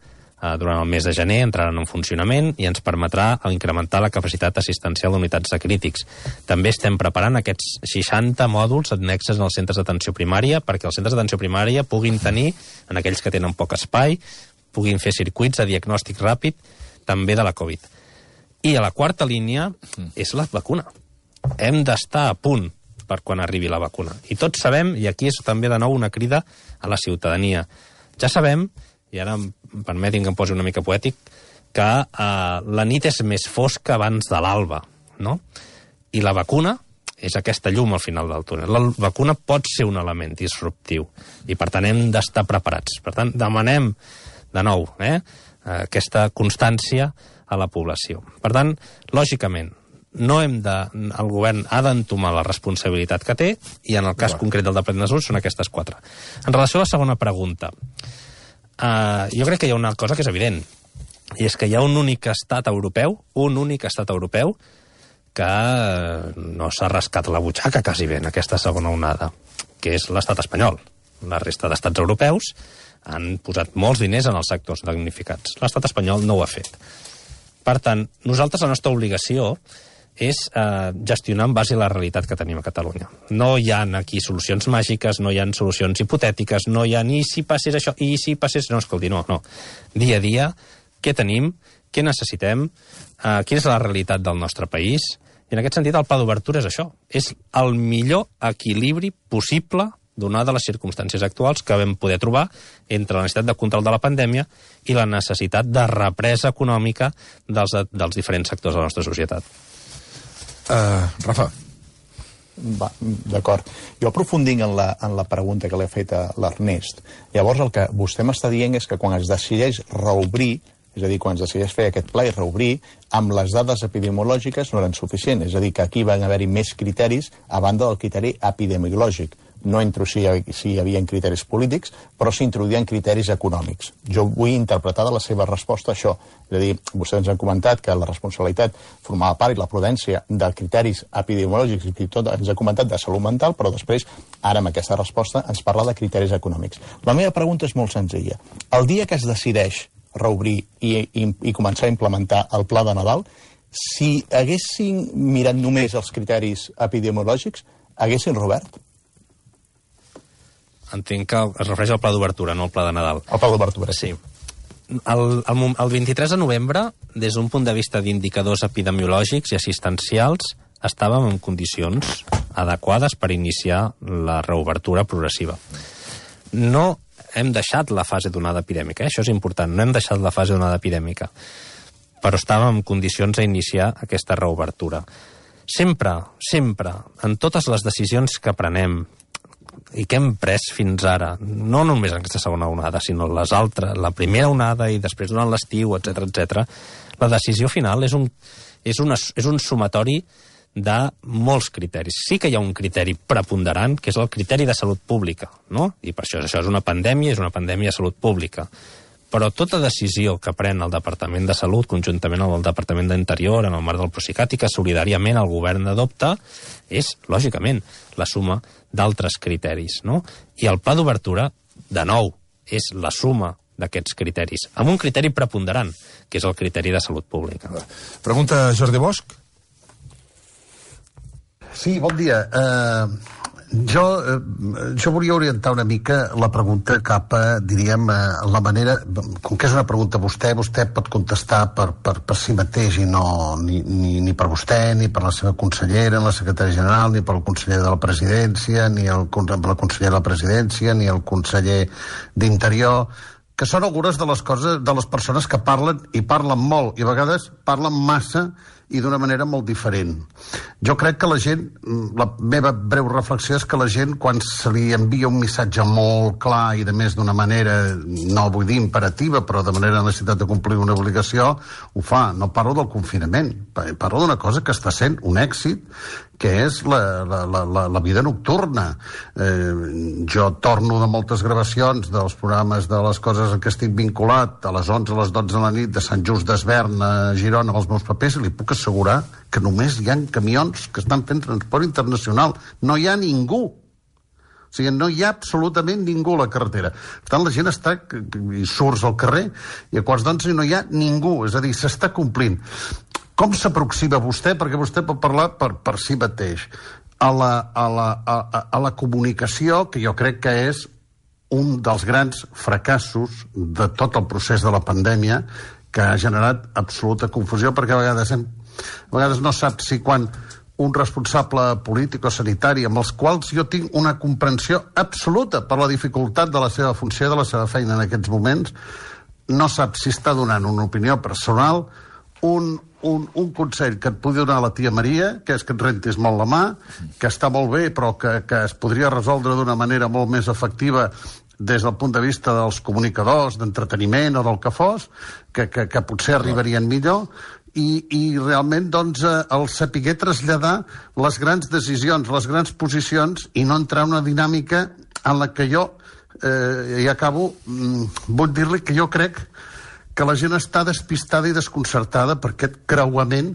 durant el mes de gener entraran en funcionament i ens permetrà incrementar la capacitat assistencial d'unitats de crítics. També estem preparant aquests 60 mòduls annexes als centres d'atenció primària perquè els centres d'atenció primària puguin tenir, en aquells que tenen poc espai, puguin fer circuits de diagnòstic ràpid també de la Covid. I a la quarta línia és la vacuna. Hem d'estar a punt per quan arribi la vacuna. I tots sabem, i aquí és també de nou una crida a la ciutadania, ja sabem, i ara permetin que em posi una mica poètic, que la nit és més fosca abans de l'alba, no? I la vacuna és aquesta llum al final del túnel. La vacuna pot ser un element disruptiu i, per tant, hem d'estar preparats. Per tant, demanem de nou aquesta constància a la població. Per tant, lògicament, el govern ha d'entomar la responsabilitat que té i en el cas concret del Departament de Salut són aquestes 4. En relació a la segona pregunta, jo crec que hi ha una cosa que és evident, i és que hi ha un únic estat europeu que no s'ha rascat la butxaca quasi bé en aquesta segona onada, que és l'estat espanyol. La resta d'estats europeus han posat molts diners en els sectors damnificats. L'estat espanyol no ho ha fet. Per tant, nosaltres la nostra obligació és gestionar en base a la realitat que tenim a Catalunya. No hi ha aquí solucions màgiques, no hi ha solucions hipotètiques, no hi ha ni si passés això, i si passés... No, escolti, no. Dia a dia, què tenim, què necessitem, quina és la realitat del nostre país, I en aquest sentit el pla d'obertura és això, és el millor equilibri possible donades les circumstàncies actuals que vam poder trobar entre la necessitat de control de la pandèmia i la necessitat de represa econòmica dels diferents sectors de la nostra societat. Rafa. D'acord. Jo aprofundint en la pregunta que li ha fet a l'Ernest, llavors el que vostè m'està dient és que quan es decideix reobrir, és a dir, quan es decideix fer aquest pla i reobrir, amb les dades epidemiològiques no eren suficients. És a dir, que aquí van haver-hi més criteris a banda del criteri epidemiològic. No entro si hi havia criteris polítics, però s'introduïen criteris econòmics. Jo vull interpretar de la seva resposta això. És a dir, vostès ens han comentat que la responsabilitat formava part i la prudència de criteris epidemiològics i tot ens ha comentat de salut mental, però després, ara amb aquesta resposta, ens parla de criteris econòmics. La meva pregunta és molt senzilla. El dia que es decideix reobrir i començar a implementar el pla de Nadal, si haguessin mirat només els criteris epidemiològics, haguessin reobert? Entenc que es refereix al pla d'obertura, no al pla de Nadal. El pla d'obertura, sí. El 23 de novembre, des d'un punt de vista d'indicadors epidemiològics i assistencials, estàvem en condicions adequades per iniciar la reobertura progressiva. No hem deixat la fase d'onada epidèmica, això és important, no hem deixat la fase d'onada epidèmica, però estàvem en condicions d'iniciar aquesta reobertura. Sempre, en totes les decisions que prenem i que hem pres fins ara, no només en aquesta segona onada, sinó les altres, la primera onada i després durant l'estiu, etc., la decisió final és un sumatori de molts criteris. Sí que hi ha un criteri preponderant, que és el criteri de salut pública, no? I per això és una pandèmia de salut pública. Però tota decisió que pren el Departament de Salut, conjuntament amb el Departament d'Interior, en el marc del Procicat, i que solidàriament el govern adopta, és, lògicament, la suma d'altres criteris, no? I el pla d'obertura, de nou, és la suma d'aquests criteris, amb un criteri preponderant, que és el criteri de salut pública. Pregunta Jordi Bosch. Sí, bon dia. Jo volia orientar una mica la pregunta cap a, diríem, la manera... Com que és una pregunta vostè pot contestar per si mateix i no ni per vostè, ni per la seva consellera, la secretària general, ni per el conseller de la presidència, ni la consellera de la presidència, ni el conseller d'Interior, que són algunes de les coses, de les persones que parlen i parlen molt, i a vegades parlen massa i d'una manera molt diferent. Jo crec que la gent, la meva breu reflexió és que la gent, quan se li envia un missatge molt clar i de més d'una manera, no vull dir imperativa, però de manera de necessitat de complir una obligació, ho fa. No parlo del confinament, parlo d'una cosa que està sent un èxit, que és la vida nocturna. Jo torno de moltes gravacions dels programes de les coses en què estic vinculat a les 11 a les 12 de la nit de Sant Just d'Esvern a Girona amb els meus papers i li puc assegurar que només hi ha camions que estan fent transport internacional. No hi ha ningú. O sigui, no hi ha absolutament ningú a la carretera. Per tant, la gent està... i surts al carrer i a quarts d'11 no hi ha ningú. És a dir, s'està complint. Com s'aproxima vostè, perquè vostè pot parlar per si mateix, a la comunicació, que jo crec que és un dels grans fracassos de tot el procés de la pandèmia, que ha generat absoluta confusió, perquè a vegades no saps si quan un responsable polític o sanitari, amb els quals jo tinc una comprensió absoluta per la dificultat de la seva funció i de la seva feina en aquests moments, no sap si està donant una opinió personal, un consell que et pugui donar la tia Maria, que és que et rentis molt la mà, que està molt bé, però que es podria resoldre d'una manera molt més efectiva des del punt de vista dels comunicadors, d'entreteniment o del que fos, que potser arribarien millor, i realment doncs, el saber traslladar les grans decisions, les grans posicions, i no entrar en una dinàmica en la que jo, i acabo, vull dir-li que jo crec que la gent està despistada i desconcertada per aquest creuament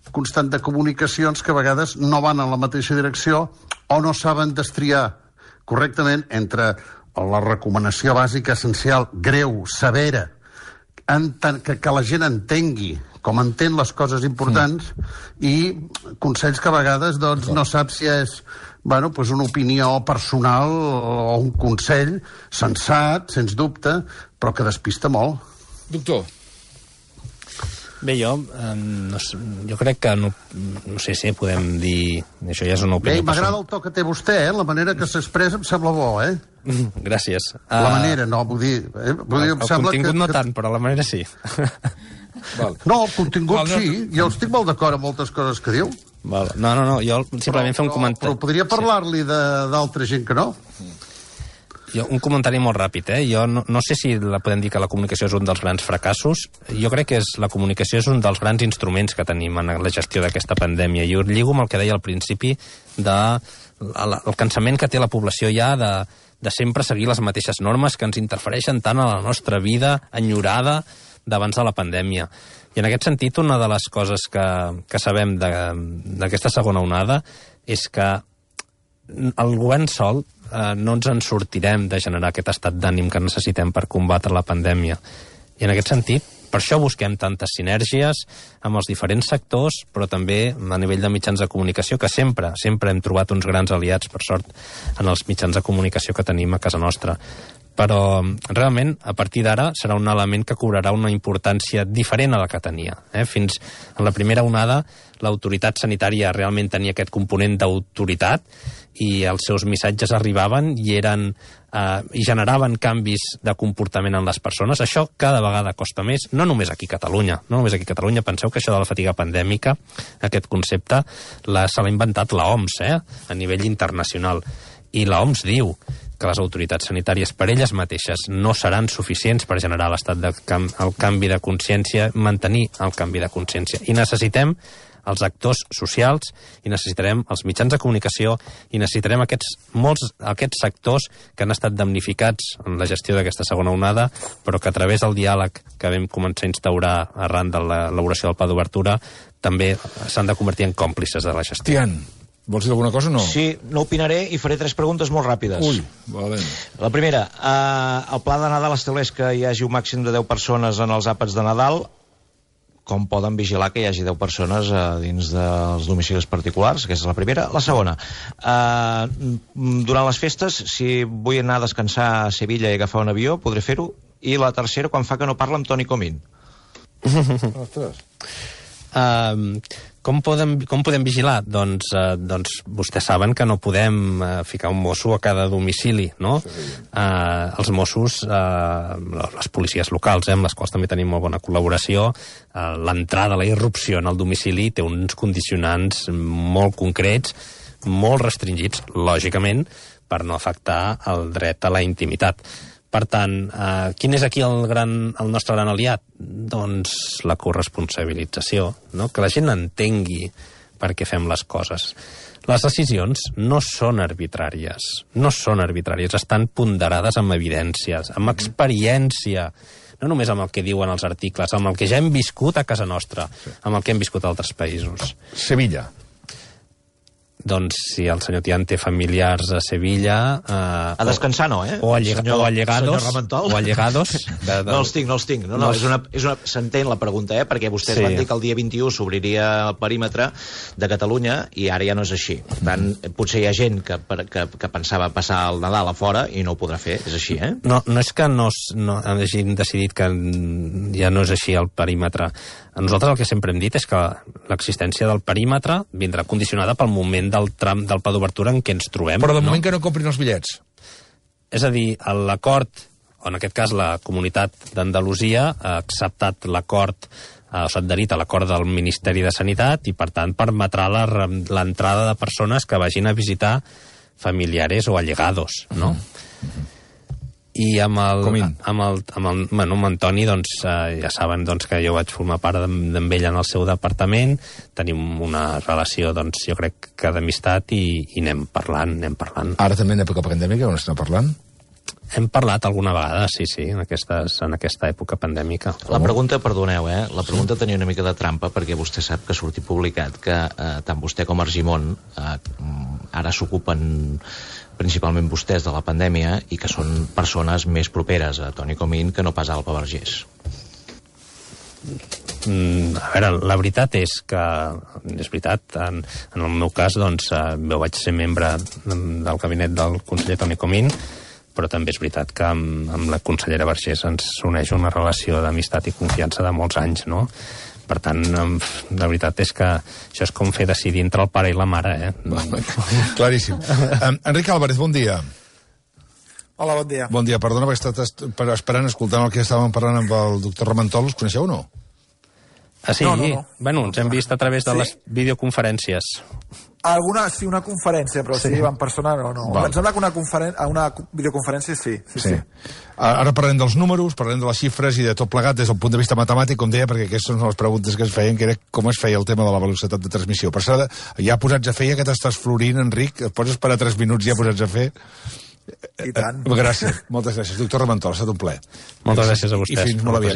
constant de comunicacions que a vegades no van en la mateixa direcció o no saben destriar correctament entre la recomanació bàsica, essencial, greu, severa, que la gent entengui com entén les coses importants, i consells que a vegades doncs, no sap si és una opinió personal o un consell sensat, sens dubte, però que despista molt. Doctor. Bé, jo crec que no sé si podem dir... Això ja és una opinió. Bé, m'agrada el to que té vostè, la manera que s'expressa em sembla bo, Gràcies. La manera, no, vull dir... El contingut no tant, però la manera sí. No, el contingut sí, jo estic molt d'acord amb moltes coses que diu. No, jo simplement fer un comentari... Però podria parlar-li d'altra gent que no. Un comentari molt ràpid, Jo no sé si podem dir que la comunicació és un dels grans fracassos. Jo crec que la comunicació és un dels grans instruments que tenim en la gestió d'aquesta pandèmia. I ho lligo amb el que deia al principi el cansament que té la població ja de sempre seguir les mateixes normes que ens interfereixen tant a la nostra vida enyorada d'abans de la pandèmia. I en aquest sentit, una de les coses que sabem d'aquesta segona onada és que el govern sol no ens en sortirem de generar aquest estat d'ànim que necessitem per combatre la pandèmia. I en aquest sentit, per això busquem tantes sinergies amb els diferents sectors, però també a nivell de mitjans de comunicació, que sempre hem trobat uns grans aliats, per sort, en els mitjans de comunicació que tenim a casa nostra. Però realment, a partir d'ara, serà un element que cobrarà una importància diferent a la que tenia. Fins en la primera onada, l'autoritat sanitària realment tenia aquest component d'autoritat i els seus missatges arribaven i generaven canvis de comportament en les persones. Això cada vegada costa més, no només aquí a Catalunya. No només aquí a Catalunya. Penseu que això de la fatiga pandèmica, aquest concepte, se l'ha inventat l'OMS, a nivell internacional. I l'OMS diu que les autoritats sanitàries per elles mateixes no seran suficients per generar el canvi de consciència, mantenir el canvi de consciència. I necessitem els actors socials, i necessitarem els mitjans de comunicació, i necessitarem aquests sectors que han estat damnificats en la gestió d'aquesta segona onada, però que a través del diàleg que vam començar a instaurar arran de l'elaboració del pla d'obertura també s'han de convertir en còmplices de la gestió. Tian, vols dir alguna cosa o no? Sí, no opinaré i faré 3 preguntes molt ràpides. Ui, valent. La primera, el pla de Nadal estableix que hi hagi un màxim de 10 persones en els àpats de Nadal. Com poden vigilar que hi hagi 10 persones dins dels domicilis particulars? Aquesta és la primera. La segona, durant les festes, si vull anar a descansar a Sevilla i agafar un avió, podré fer-ho? I la tercera, quan fa que no parla amb Toni Comín. Ostres. Com podem vigilar? Doncs vostès saben que no podem ficar un mosso a cada domicili, no? Els Mossos, les policies locals, amb les quals també tenim molt bona col·laboració, l'entrada, la irrupció en el domicili té uns condicionants molt concrets, molt restringits, lògicament, per no afectar el dret a la intimitat. Per tant, quin és aquí el nostre gran aliat? Doncs la corresponsabilització, no? Que la gent entengui per què fem les coses. Les decisions no són arbitràries, estan ponderades amb evidències, amb experiència, no només amb el que diuen els articles, amb el que ja hem viscut a casa nostra, amb el que hem viscut a altres països. Sevilla. Doncs si el senyor Tian té familiars a Sevilla... a descansar no, O allegados. O allegados. No els tinc. No, s'entén la pregunta, perquè vostès van dir que el dia 21 s'obriria el perímetre de Catalunya i ara ja no és així. Per tant, potser hi ha gent que pensava passar el Nadal a fora i no ho podrà fer, és així, No és que no hagin decidit que ja no és així el perímetre. Nosaltres el que sempre hem dit és que l'existència del perímetre vindrà condicionada pel moment del tram del pla d'obertura en què ens trobem. Però de moment que no comprin els bitllets. És a dir, l'acord, o en aquest cas la Comunitat d'Andalusia, ha acceptat l'acord, s'ha adherit a l'acord del Ministeri de Sanitat i, per tant, permetrà l'entrada de persones que vagin a visitar familiares o allegados, no? I amb Antoni, doncs, ja saben que jo vaig formar part d'ell en el seu departament, tenim una relació, doncs, jo crec que d'amistat i anem parlant. Ara també en època pandèmica, on estem parlant? Hem parlat alguna vegada, sí, en aquesta època pandèmica. La pregunta, perdoneu, la pregunta tenia una mica de trampa, perquè vostè sap que ha sortit publicat que tant vostè com Argimon ara s'ocupen principalment vostès de la pandèmia i que són persones més properes a Toni Comín que no pas a Alba Vergés. A veure, la veritat és que, és veritat, en el meu cas, doncs, jo vaig ser membre del gabinet del conseller Toni Comín, però també és veritat que amb la consellera Vergés ens uneix una relació d'amistat i confiança de molts anys, no? Per tant, la veritat és que això és com fer decidir entre el pare i la mare, Claríssim. Enric Álvarez, bon dia. Hola, bon dia. Bon dia, perdona, perquè he estat esperant, escoltant el que estàvem parlant amb el doctor Ramentol. Els coneixeu o no? Ah, sí? No. Bueno, ens hem vist a través de les videoconferències. Sí, una conferència, però sí, en persona no. Em sembla que una videoconferència sí. Ara parlem dels números, parlem de les xifres i de tot plegat des del punt de vista matemàtic, com deia, perquè aquestes són les preguntes que es feien, que era com es feia el tema de la velocitat de transmissió. Per cert, ja posats a fer, ja que t'estàs florint, Enric, et pots esperar 3 minuts ja posats a fer? I tant. Gràcies, moltes gràcies. Doctor Ramentol, ha estat un plaer. Moltes gràcies a vostès. I fins molt aviat.